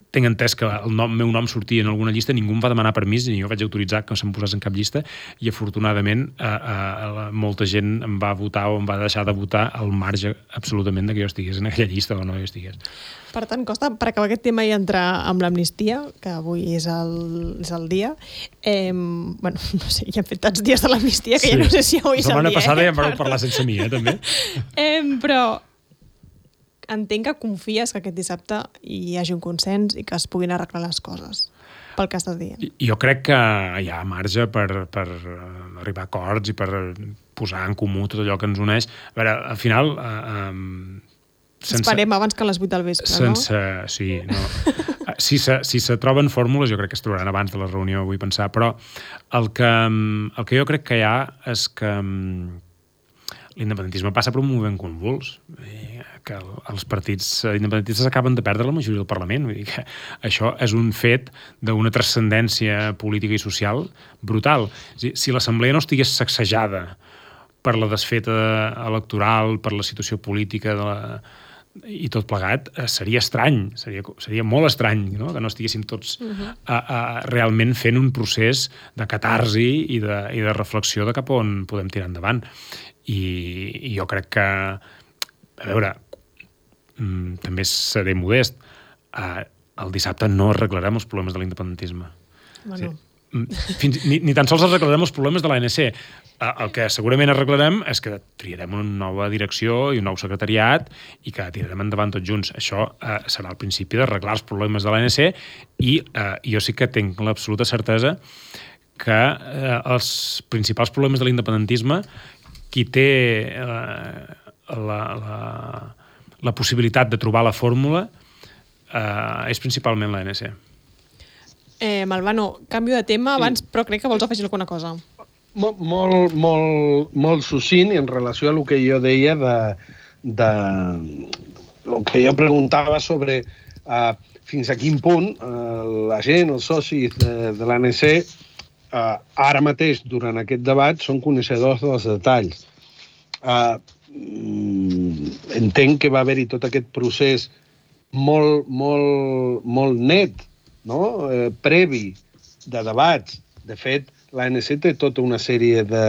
tinc entès que el nom, meu nom sortia en alguna llista, ningú em va demanar permís, ni jo vaig autoritzar que se'm posés en cap llista, i afortunadament eh, eh, molta gent em va votar o em va deixar de votar al marge absolutament de que jo estigués en aquella llista o no jo estigués. Per tant, Costa, per acabar aquest tema i entrar amb l'amnistia, que avui és el, és el dia, eh, bueno, no sé, ja hem fet tants dies de l'amnistia que sí. Ja no sé si avui és el dia. La setmana passada eh? ja em vareu parlar sense mi, eh, també. eh, però entenc que confies que aquest dissabte hi hagi un consens i que es puguin arreglar les coses, pel que estàs dient. Jo crec que hi ha marge per, per arribar a acords i per posar en comú tot allò que ens uneix. A veure, al final... Eh, eh, sense, Esperem abans que a les vuit del vespre, sense, no? Sí, no. Si se, si se troben fórmules, jo crec que es trobaran abans de la reunió, vull pensar, però el que, el que jo crec que hi ha és que l'independentisme passa per un moviment convuls, que els partits independentistes acaben de perdre la majoria del Parlament, vull dir que això és un fet d'una transcendència política i social brutal. Si l'Assemblea no estigués sacsejada per la desfeta electoral, per la situació política de la i tot plegat, eh, seria estrany, seria, seria molt estrany, no? Que no estiguéssim tots uh-huh. a, a, realment fent un procés de catarsi i de, i de reflexió de cap on podem tirar endavant. I, i jo crec que, a veure, mm, també seré modest, eh, el dissabte no arreglarem els problemes de l'independentisme. Bueno. Sí. fins, ni, ni tan sols arreglarem els problemes de l'A N C. El que segurament arreglarem és que triarem una nova direcció i un nou secretariat i que tirarem endavant tots junts. Això eh, serà el principi d'arreglar els problemes de l'A N C i eh, jo sí que tinc l'absoluta certesa que eh, els principals problemes de l'independentisme, qui té eh, la, la, la possibilitat de trobar la fórmula eh, és principalment l'A N C. Eh, Malvano, canvio de tema abans, però crec que vols afegir alguna cosa. Molt, molt, molt, molt succint en relació a el que jo deia de, de el que jo preguntava sobre uh, fins a quin punt uh, la gent, els socis de, de l'A N C, uh, ara mateix, durant aquest debat, són coneixedors dels detalls. Uh, entenc que va haver-hi tot aquest procés molt, molt, molt net, no? eh, previ de debats. De fet, l'A N C té tota una sèrie de,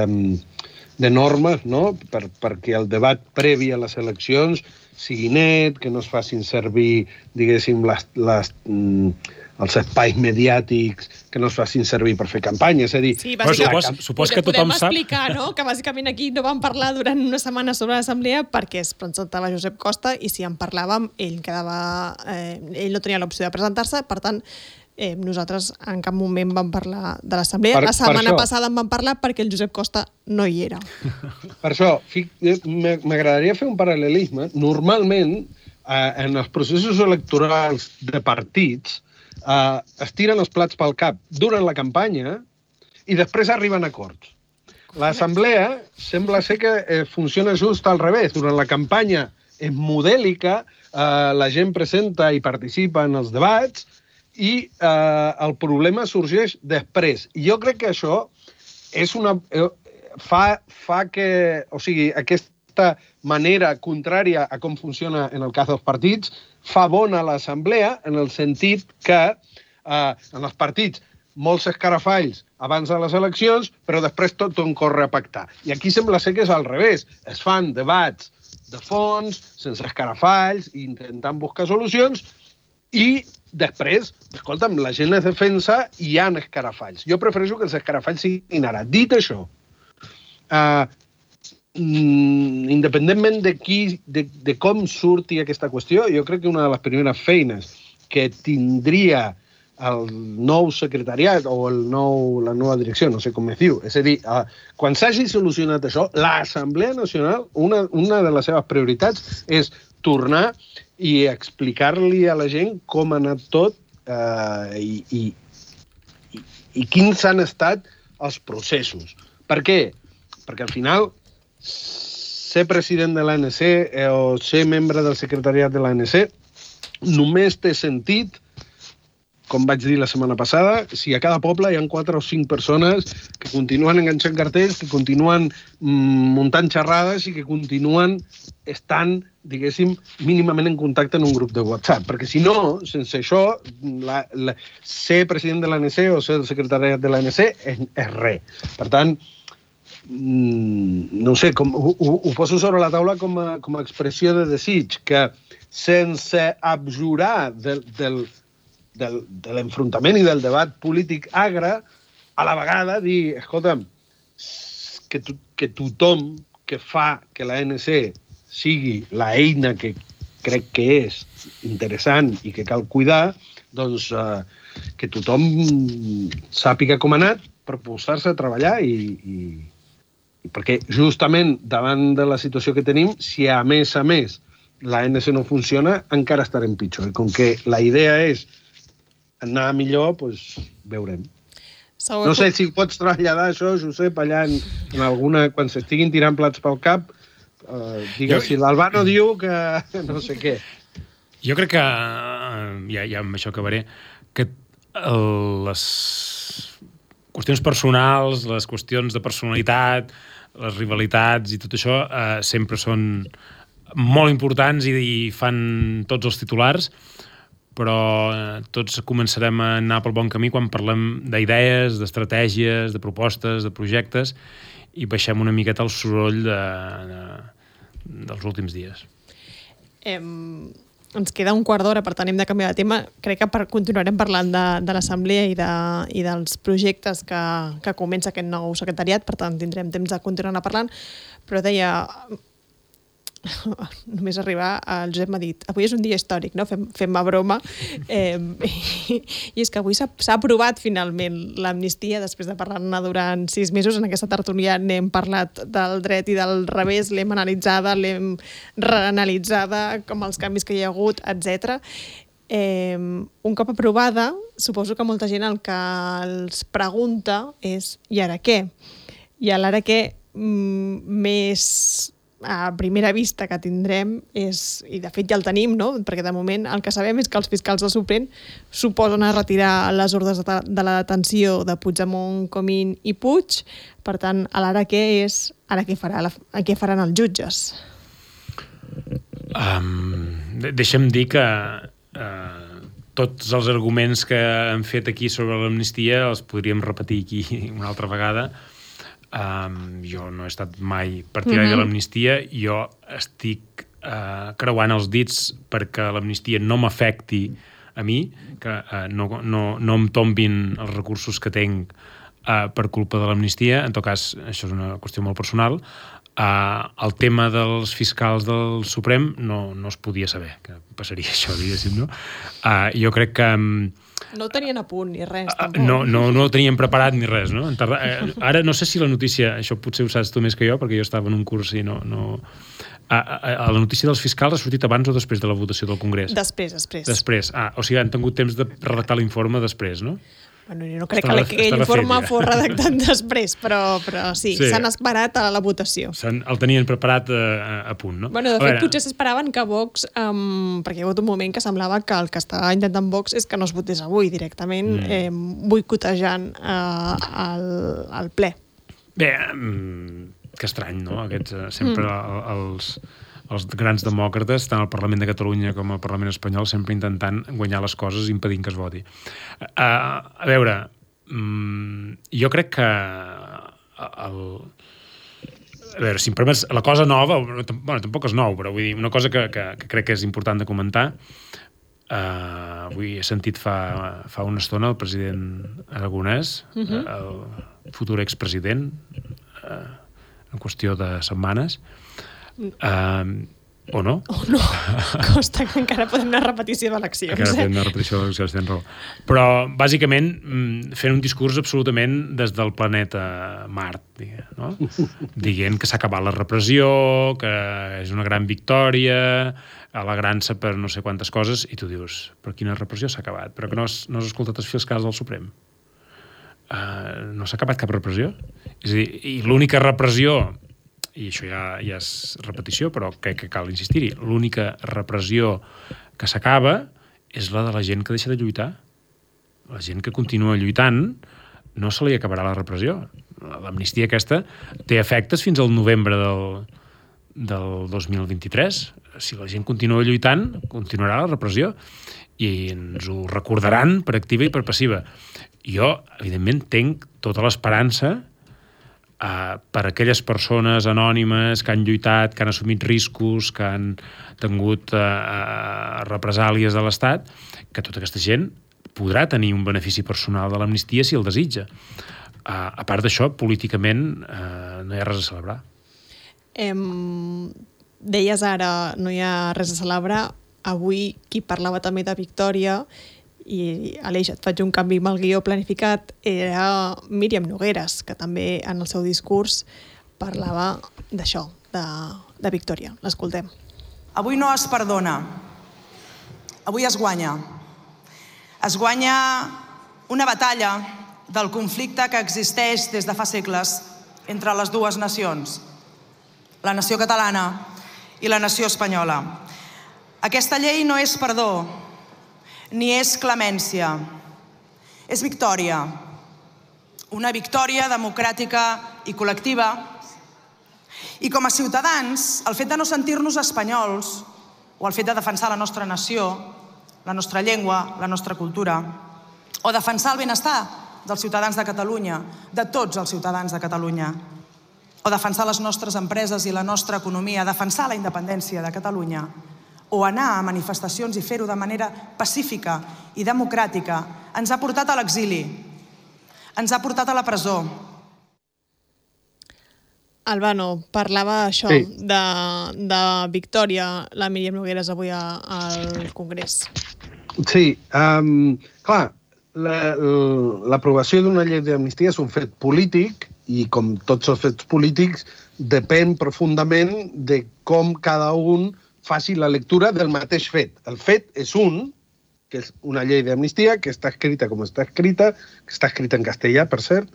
de normes, no? per, perquè el debat previ a les eleccions sigui net, que no es facin servir, diguéssim, les, les, els espais mediàtics, que no es facin servir per fer campanya. És a dir, sí, supos, supos que tothom podem sap... explicar, no?, que bàsicament aquí no vam parlar durant una setmana sobre l'assemblea perquè es presentava Josep Costa i si en parlàvem, ell quedava... Eh, ell no tenia l'opció de presentar-se, per tant, Eh, nosaltres en cap moment vam parlar de l'assemblea. La setmana passada en vam parlar perquè el Josep Costa no hi era. Per això, m'agradaria fer un paral·lelisme. Normalment, eh, en els processos electorals de partits, eh, es tiren els plats pel cap durant la campanya i després arriben a acords. L'assemblea sembla ser que eh, funciona just al revés. Durant la campanya és modèlica, eh, la gent presenta i participa en els debats, i eh, el problema sorgeix després. I jo crec que això és una, eh, fa, fa que... O sigui, aquesta manera contrària a com funciona en el cas dels partits fa bona l'assemblea en el sentit que eh, en els partits molts escarafalls abans de les eleccions, però després tot on corre a pactar. I aquí sembla ser que és al revés. Es fan debats de fons, sense escarafalls, intentant buscar solucions, i després, escolta'm, la gent es defensa i hi ha escarafalls. Jo prefereixo que els escarafalls siguin ara. Dit això, uh, independentment de, qui, de, de com surti aquesta qüestió, jo crec que una de les primeres feines que tindria el nou secretariat o el nou, la nova direcció, no sé com es diu, és a dir, uh, quan s'hagi solucionat això, l'Assemblea Nacional, una, una de les seves prioritats és tornar i explicar-li a la gent com ha anat tot eh, i, i, i, i quins han estat els processos. Per què? Perquè al final ser president de l'A N C eh, o ser membre del secretariat de l'A N C només té sentit, com vaig dir la setmana passada, si a cada poble hi ha quatre o cinc persones que continuen enganxant cartells, que continuen mm, muntant xerrades i que continuen estant, diguéssim, mínimament en contacte en un grup de WhatsApp. Perquè si no, sense això, la, la, ser president de l'A N C o ser el secretariat de l'A N C és, és res. Per tant, mm, no sé, com, ho, ho poso sobre la taula com a, com a expressió de desig, que sense abjurar del, del Del, de l'enfrontament i del debat polític agre, a la vegada dir, escolta'm, que, to, que tothom que fa que la A N C sigui la eina que crec que és interessant i que cal cuidar, doncs eh, que tothom sàpiga com ha anat per posar-se a treballar i, i, i perquè justament davant de la situació que tenim, si a més a més la A N C no funciona, encara estarem pitjor. I com que la idea és anar millor, doncs veurem. Segur no sé si pots traslladar això, Josep, allà en, en alguna... Quan s'estiguin tirant plats pel cap, eh, digues, jo... si l'Albano diu que no sé què. Jo crec que, ja, ja amb això acabaré, que les qüestions personals, les qüestions de personalitat, les rivalitats i tot això eh, sempre són molt importants i, i fan tots els titulars, però eh, tots començarem a anar pel bon camí quan parlem d'idees, d'estratègies, de propostes, de projectes i baixem una miqueta el soroll de, de, dels últims dies. Eh, ens queda un quart d'hora, per tant hem de canviar de tema. Crec que per, continuarem parlant de, de l'Assemblea i, de, i dels projectes que, que comença aquest nou secretariat, per tant tindrem temps de continuar parlant, però deia... només arribar, el Josep m'ha dit avui és un dia històric, no? Fem, fem-me broma eh, i, i és que avui s'ha aprovat finalment l'amnistia després de parlar-ne durant sis mesos. En aquesta tertúlia n'hem parlat del dret i del revés, l'hem analitzada, l'hem reanalitzada, com els canvis que hi ha hagut, etcètera. Eh, un cop aprovada, suposo que molta gent el que els pregunta és i ara què? I l'ara què mm, més a primera vista que tindrem és, i de fet ja el tenim, no? Perquè de moment el que sabem és que els fiscals del Suprem suposen a retirar les ordres de, de la detenció de Puigdemont, Comín i Puig. Per tant, a l'ara què és, ara què, farà la, què faran els jutges? Um, deixa'm dir que uh, tots els arguments que han fet aquí sobre l'amnistia els podríem repetir aquí una altra vegada. Um, jo no he estat mai partidari mm-hmm. de l'amnistia, jo estic uh, creuant els dits perquè l'amnistia no m'afecti a mi, que uh, no, no, no em tombin els recursos que tinc uh, per culpa de l'amnistia. En tot cas, això és una qüestió molt personal. Uh, el tema dels fiscals del Suprem no, no es podia saber que passaria això, diguéssim, no? Uh, jo crec que um, no ho tenien a punt ni res, tampoc. No, no, no ho teníem preparat ni res, no? Ara no sé si la notícia, això potser ho saps tu més que jo, perquè jo estava en un curs i no... no... A, a, a la notícia dels fiscals ha sortit abans o després de la votació del Congrés? Després, després. Després, ah, o sigui, han tingut temps de redactar l'informe després, no? Bueno, no crec estava, que aquell informe ja. fos redactat després, però, però sí, sí. s'han esperat a la votació. El tenien preparat a, a punt, no? Bueno, de fet, potser s'esperaven que Vox, um, perquè hi ha hagut un moment que semblava que el que estava intentant Vox és que no es votés avui directament, mm. eh, boicotejant eh, el, el ple. Bé, que estrany, no? Aquests, sempre mm. els... els grans demòcrates, tant al Parlament de Catalunya com al Parlament espanyol, sempre intentant guanyar les coses i impedint que es voti. Uh, a veure, um, jo crec que el... a veure, si em permets, la cosa nova, bueno, tampoc és nou, però vull dir, una cosa que, que, que crec que és important de comentar, uh, avui he sentit fa, fa una estona el president Aragonès, uh-huh. el futur expresident, uh, en qüestió de setmanes, Uh, o no? O no, costa que encara podem anar a repetició d'eleccions. Encara podem anar a repetició d'eleccions, tens raó. Però, bàsicament, fent un discurs absolutament des del planeta Mart, diguem, no? Dient que s'ha acabat la repressió, que és una gran victòria, alegrant-se per no sé quantes coses, i tu dius, però quina repressió s'ha acabat? Però que no has, no has escoltat els fiscals del Suprem? Uh, no s'ha acabat cap repressió? És a dir, i l'única repressió, i això ja, ja és repetició, però crec que cal insistir-hi, l'única repressió que s'acaba és la de la gent que deixa de lluitar. La gent que continua lluitant no se li acabarà la repressió. L'amnistia aquesta té efectes fins al novembre del, del dos mil vint-i-tres. Si la gent continua lluitant, continuarà la repressió i ens ho recordaran per activa i per passiva. Jo, evidentment, tinc tota l'esperança Uh, per aquelles persones anònimes que han lluitat, que han assumit riscos, que han tingut uh, uh, represàlies de l'Estat, que tota aquesta gent podrà tenir un benefici personal de l'amnistia si el desitja. Uh, a part d'això, políticament uh, no hi ha res a celebrar. Em... Deies ara, no hi ha res a celebrar. Avui qui parlava també de victòria, i Aleix, et faig un canvi amb el guió planificat, era Míriam Nogueras, que també en el seu discurs parlava d'això, de, de victòria. L'escoltem. Avui no es perdona. Avui es guanya. Es guanya una batalla del conflicte que existeix des de fa segles entre les dues nacions, la nació catalana i la nació espanyola. Aquesta llei no és perdó, ni és clemència, és victòria. Una victòria democràtica i col·lectiva. I com a ciutadans, el fet de no sentir-nos espanyols, o el fet de defensar la nostra nació, la nostra llengua, la nostra cultura, o defensar el benestar dels ciutadans de Catalunya, de tots els ciutadans de Catalunya, o defensar les nostres empreses i la nostra economia, defensar la independència de Catalunya, o anar a manifestacions i fer-ho de manera pacífica i democràtica ens ha portat a l'exili, ens ha portat a la presó. Albano, parlava això Sí. de, de Victòria, la Míriam Nogueras, avui a- al Congrés. Sí, um, clar, la- l'aprovació d'una llei d'amnistia és un fet polític i, com tots els fets polítics, depèn profundament de com cada un faci la lectura del mateix fet. El fet és un, que és una llei d'amnistia, que està escrita com està escrita, que està escrita en castellà, per cert.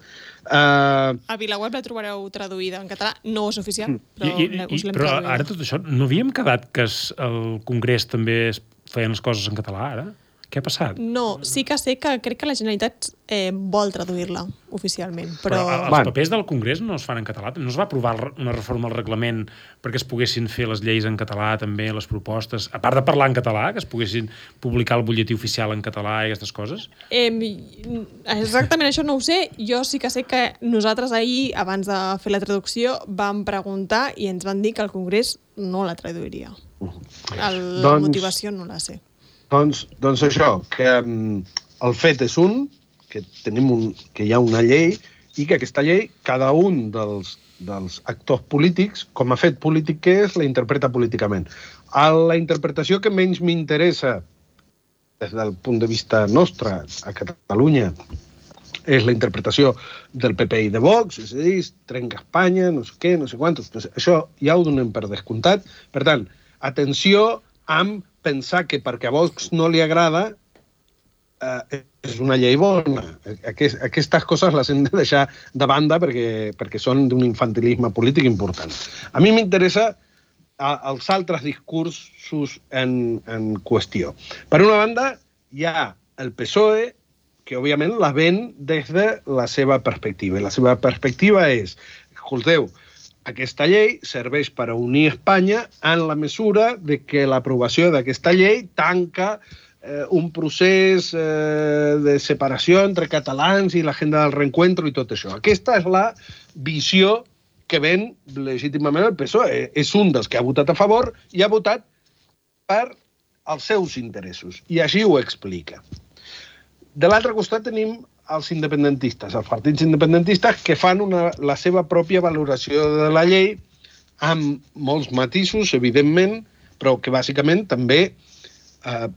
Uh, A VilaWeb la trobareu traduïda en català, no és oficial, però I, i, us i, l'hem però traduïda. ara tot això, no havíem quedat que es, el Congrés també es feien les coses en català, ara? Què ha passat? No, sí que sé que crec que la Generalitat eh, vol traduir-la oficialment, però... Però els Bueno. papers del Congrés no es fan en català? No es va aprovar una reforma al reglament perquè es poguessin fer les lleis en català, també, les propostes? A part de parlar en català, que es poguessin publicar el butlletí oficial en català i aquestes coses? Eh, exactament això no ho sé. Jo sí que sé que nosaltres ahir, abans de fer la traducció, vam preguntar i ens van dir que el Congrés no la traduiria. El, la Doncs- motivació no la sé. Doncs, doncs això, que um, el fet és un, que, tenim un, que hi ha una llei i que aquesta llei, cada un dels, dels actors polítics, com a fet polític que és, la interpreta políticament. A la interpretació que menys m'interessa des del punt de vista nostre a Catalunya és la interpretació del P P i de Vox, és a dir, es trenca Espanya, no sé què, no sé quantos. No sé, això ja ho donem per descomptat. Per tant, atenció amb pensar que perquè a Vox no li agrada eh, és una llei bona. Aquest, aquestes coses les hem de deixar de banda perquè, perquè són d'un infantilisme polític important. A mi m'interessa a, els altres discursos en, en qüestió. Per una banda, hi ha el P S O E, que òbviament la ven des de la seva perspectiva. I la seva perspectiva és, escolteu, aquesta llei serveix per a unir Espanya en la mesura de que l'aprovació d'aquesta llei tanca eh, un procés eh, de separació entre catalans i l'agenda del reencuentro i tot això. Aquesta és la visió que ven legítimament el P S O E. És un dels que ha votat a favor i ha votat per als seus interessos. I així ho explica. De l'altre costat tenim els independentistes, els partits independentistes que fan una, la seva pròpia valoració de la llei amb molts matisos, evidentment, però que bàsicament també eh,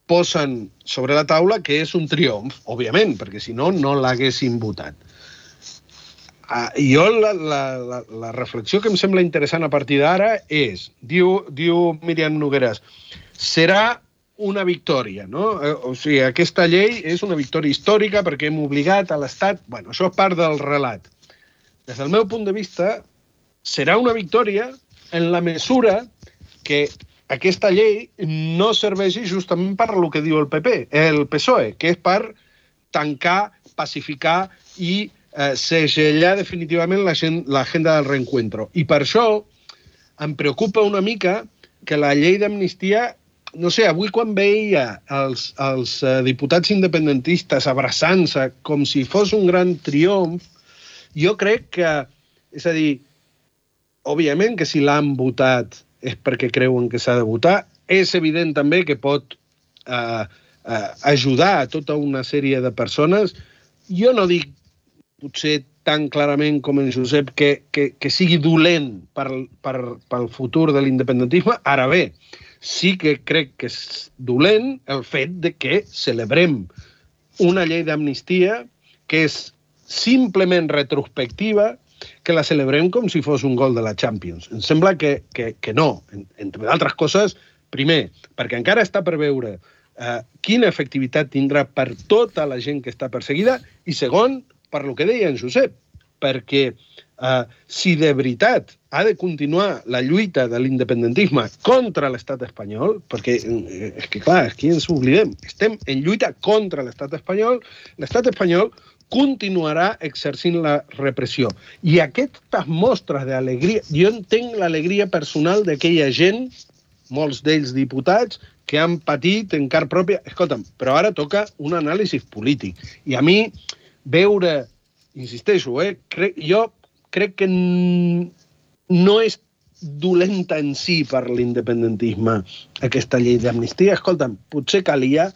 posen sobre la taula que és un triomf, òbviament, perquè si no, no l'haguessin votat. Uh, jo la, la, la, la reflexió que em sembla interessant a partir d'ara és, diu, diu Míriam Nogueras, serà una victòria, no? O sigui, aquesta llei és una victòria històrica perquè hem obligat a l'Estat... Bueno, això és part del relat. Des del meu punt de vista, serà una victòria en la mesura que aquesta llei no serveixi justament per lo que diu el P P, el P S O E, que és per tancar, pacificar i eh, segellar definitivament l'agenda del reencuentro. I per això em preocupa una mica que la llei d'amnistia, no sé, avui quan veia els, els uh, diputats independentistes abraçant-se com si fos un gran triomf, jo crec que, és a dir, òbviament que si l'han votat és perquè creuen que s'ha de votar, és evident també que pot uh, uh, ajudar a tota una sèrie de persones. Jo no dic, potser tan clarament com en Josep, que, que, que sigui dolent per, per, pel futur de l'independentisme. Ara bé, sí que crec que és dolent el fet de que celebrem una llei d'amnistia que és simplement retrospectiva, que la celebrem com si fos un gol de la Champions. Em sembla que, que, que no, entre d'altres coses, primer, perquè encara està per veure eh, quina efectivitat tindrà per tota la gent que està perseguida, i segon, per lo que deia en Josep, perquè Uh, si de veritat ha de continuar la lluita de l'independentisme contra l'estat espanyol, perquè eh, és que clar, aquí ens oblidem, estem en lluita contra l'estat espanyol, l'estat espanyol continuarà exercint la repressió. I aquestes mostres d'alegria, jo entenc l'alegria personal d'aquella gent, molts d'ells diputats, que han patit en carn pròpia. Escolta'm, però ara toca un anàlisi polític. I a mi veure, insisteixo, eh, crec, jo crec que no és dolenta en si per l'independentisme aquesta llei d'amnistia. Escolta'm, potser calia...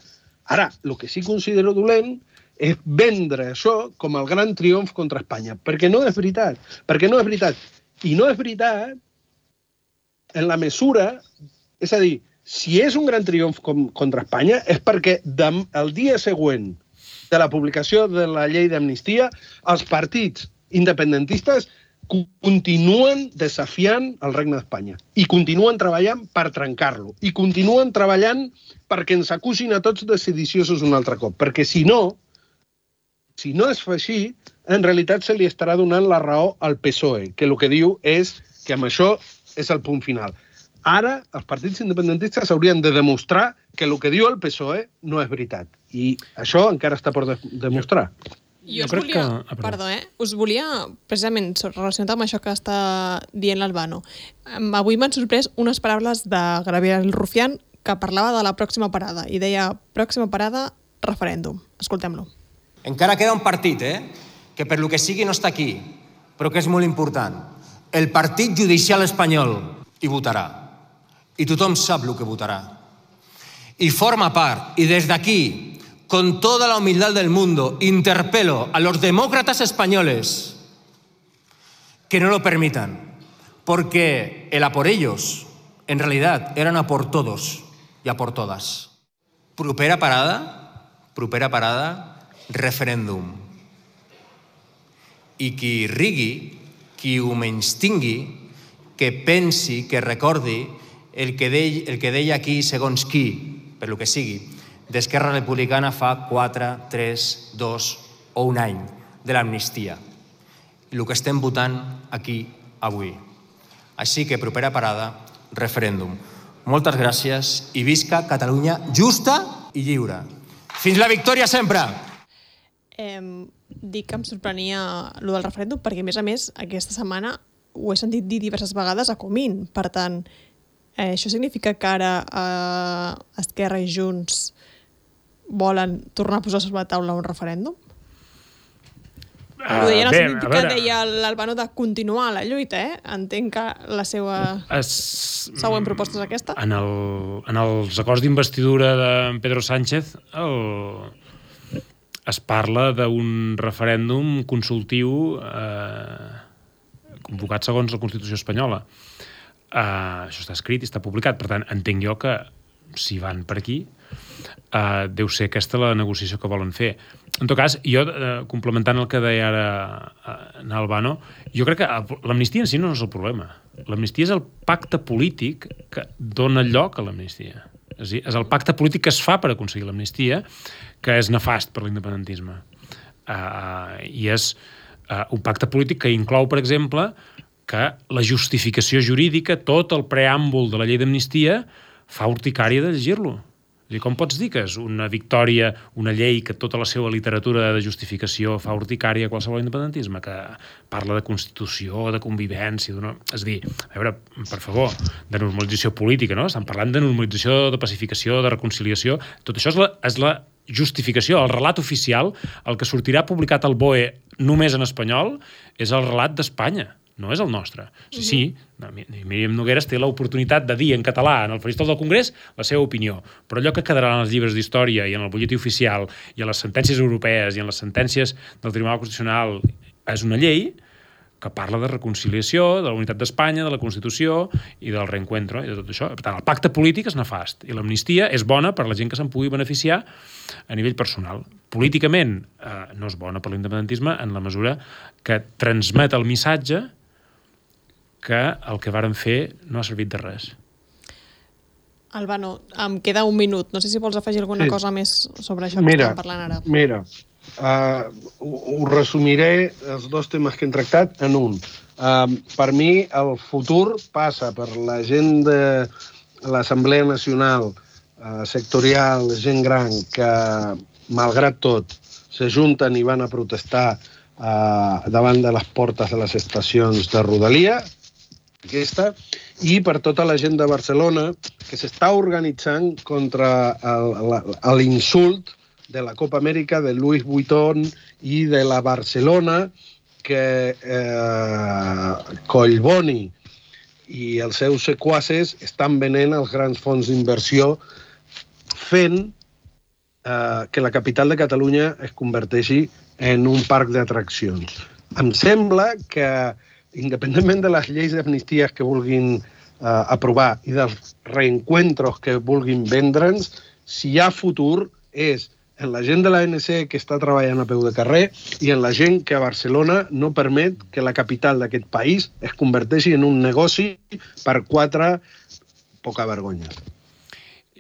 Ara, el que sí considero dolent és vendre això com el gran triomf contra Espanya, perquè no és veritat. Perquè no és veritat. I no és veritat en la mesura... És a dir, si és un gran triomf com, contra Espanya és perquè dem, el dia següent de la publicació de la llei d'amnistia els partits independentistes continuen desafiant el Regne d'Espanya i continuen treballant per trencar-lo i continuen treballant perquè ens acusin a tots de sediciosos un altre cop, perquè si no, si no es fa així, en realitat se li estarà donant la raó al P S O E, que el que diu és que amb això és el punt final. Ara, els partits independentistes haurien de demostrar que el que diu el P S O E no és veritat. I això encara està per de demostrar. Jo, jo us volia, que... ah, perdó, eh? Us volia, precisament, relacionat amb això que està dient l'Albano, avui m'han sorprès unes paraules de Gabriel Rufián que parlava de la pròxima parada i deia, pròxima parada, referèndum. Escoltem-lo. Encara queda un partit, eh? Que per lo que sigui no està aquí, però que és molt important. El Partit Judicial Espanyol hi votarà. I tothom sap el que votarà. Y forma part, y desde aquí, con toda la humildad del mundo, interpelo a los demócratas españoles que no lo permitan, porque el a por ellos, en realidad, eran a por todos y a por todas. Propera parada, propera parada, referèndum. I qui rigui, qui ho menystingui, que pensi, que recordi el que, de, el que deia aquí segons qui, per lo que sigui, d'Esquerra Republicana fa quatre, tres, dos o un any de l'amnistia. El que estem votant aquí avui. Així que propera parada, referèndum. Moltes gràcies i visca Catalunya justa i lliure. Fins la victòria sempre! Eh, dic que em sorprenia el del referèndum perquè, a més a més, aquesta setmana ho he sentit dir diverses vegades a Comín. Per tant, eh, això significa que ara eh, Esquerra i Junts volen tornar a posar sobre la taula un referèndum? Uh, Ho deia en el bé, sentit que deia l'Albano de continuar la lluita, eh? Entenc que la seva es... següent proposta és aquesta. En, el, en els acords d'investidura de Pedro Sánchez el... es parla d'un referèndum consultiu eh, convocat segons la Constitució espanyola. Uh, això està escrit i està publicat, per tant, entenc jo que si van per aquí, uh, deu ser aquesta la negociació que volen fer. En tot cas, jo, uh, complementant el que deia ara uh, Albano, jo crec que l'amnistia en si no és el problema. L'amnistia és el pacte polític que dona lloc a l'amnistia. És a dir, és el pacte polític que es fa per aconseguir l'amnistia, que és nefast per l'independentisme. Uh, I és uh, un pacte polític que inclou, per exemple, que la justificació jurídica, tot el preàmbul de la llei d'amnistia, fa urticària de llegir-lo. És a dir, com pots dir que és una victòria, una llei que tota la seva literatura de justificació fa urticària a qualsevol independentisme, que parla de constitució, de convivència... És a dir, a veure, per favor, de normalització política, no? Estan parlant de normalització, de pacificació, de reconciliació... Tot això és la, és la justificació, el relat oficial, el que sortirà publicat al B O E només en espanyol, és el relat d'Espanya. No és el nostre. Sí, sí, Míriam Nogueras té l'oportunitat de dir en català en el faristol del Congrés la seva opinió, però allò que quedarà en els llibres d'història i en el butlletí oficial i en les sentències europees i en les sentències del Tribunal Constitucional és una llei que parla de reconciliació, de la unitat d'Espanya, de la Constitució i del reencuentro i de tot això. Per tant, el pacte polític és nefast i l'amnistia és bona per a la gent que se'n pugui beneficiar a nivell personal. Políticament eh, no és bona per l'independentisme en la mesura que transmet el missatge que el que varen fer no ha servit de res. Albano, em queda un minut. No sé si vols afegir alguna sí. cosa més sobre això que mira, estàvem parlant ara. Mira, uh, ho resumiré els dos temes que hem tractat en un. Uh, per mi, el futur passa per la gent de l'Assemblea Nacional uh, sectorial, gent gran, que, malgrat tot, s'ajunten i van a protestar uh, davant de les portes de les estacions de Rodalia, aquesta, i per tota la gent de Barcelona que s'està organitzant contra l'insult de la Copa Amèrica de Louis Vuitton i de la Barcelona que eh, Collboni i els seus sequaces estan venent els grans fons d'inversió fent eh, que la capital de Catalunya es converteixi en un parc d'atraccions. Em sembla que, independentment de les lleis d'amnisties que vulguin eh, aprovar i dels reencuentros que vulguin vendre'ns, si hi ha futur és en la gent de l'A N C que està treballant a peu de carrer i en la gent que a Barcelona no permet que la capital d'aquest país es converteixi en un negoci per quatre poca vergonya.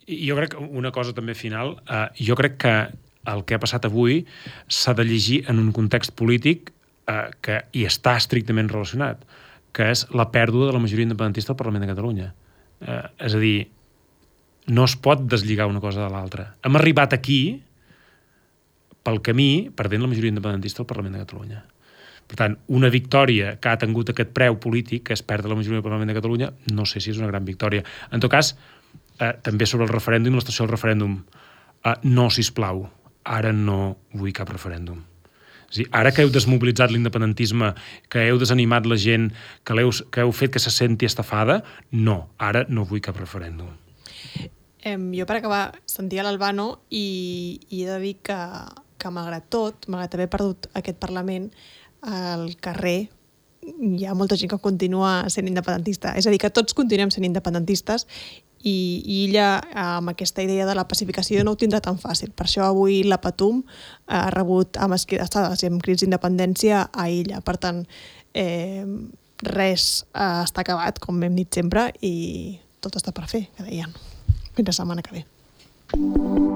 Jo crec que una cosa també final, eh, jo crec que el que ha passat avui s'ha de llegir en un context polític eh, que hi està estrictament relacionat, que és la pèrdua de la majoria independentista al Parlament de Catalunya. Eh, és a dir, no es pot deslligar una cosa de l'altra. Hem arribat aquí pel camí perdent la majoria independentista al Parlament de Catalunya. Per tant, una victòria que ha tingut aquest preu polític, que és perdre la majoria del Parlament de Catalunya, no sé si és una gran victòria. En tot cas, eh, també sobre el referèndum, l'estació del referèndum, eh, no, sisplau, ara no vull cap referèndum. És dir, ara que heu desmobilitzat l'independentisme, que heu desanimat la gent, que, heu, que heu fet que se senti estafada, no, ara no vull cap referèndum. Eh, jo, per acabar, sentia l'Albano i, i he de dir que, que malgrat tot, malgrat haver perdut aquest Parlament, al carrer hi ha molta gent que continua sent independentista. És a dir, que tots continuem sent independentistes i, i ella, amb aquesta idea de la pacificació, no ho tindrà tan fàcil. Per això avui la Patum ha rebut amb esquidastades i amb crits d'independència a ella. Per tant, eh, res eh, està acabat, com hem dit sempre, i tot està per fer, que deien. Fins la setmana que ve.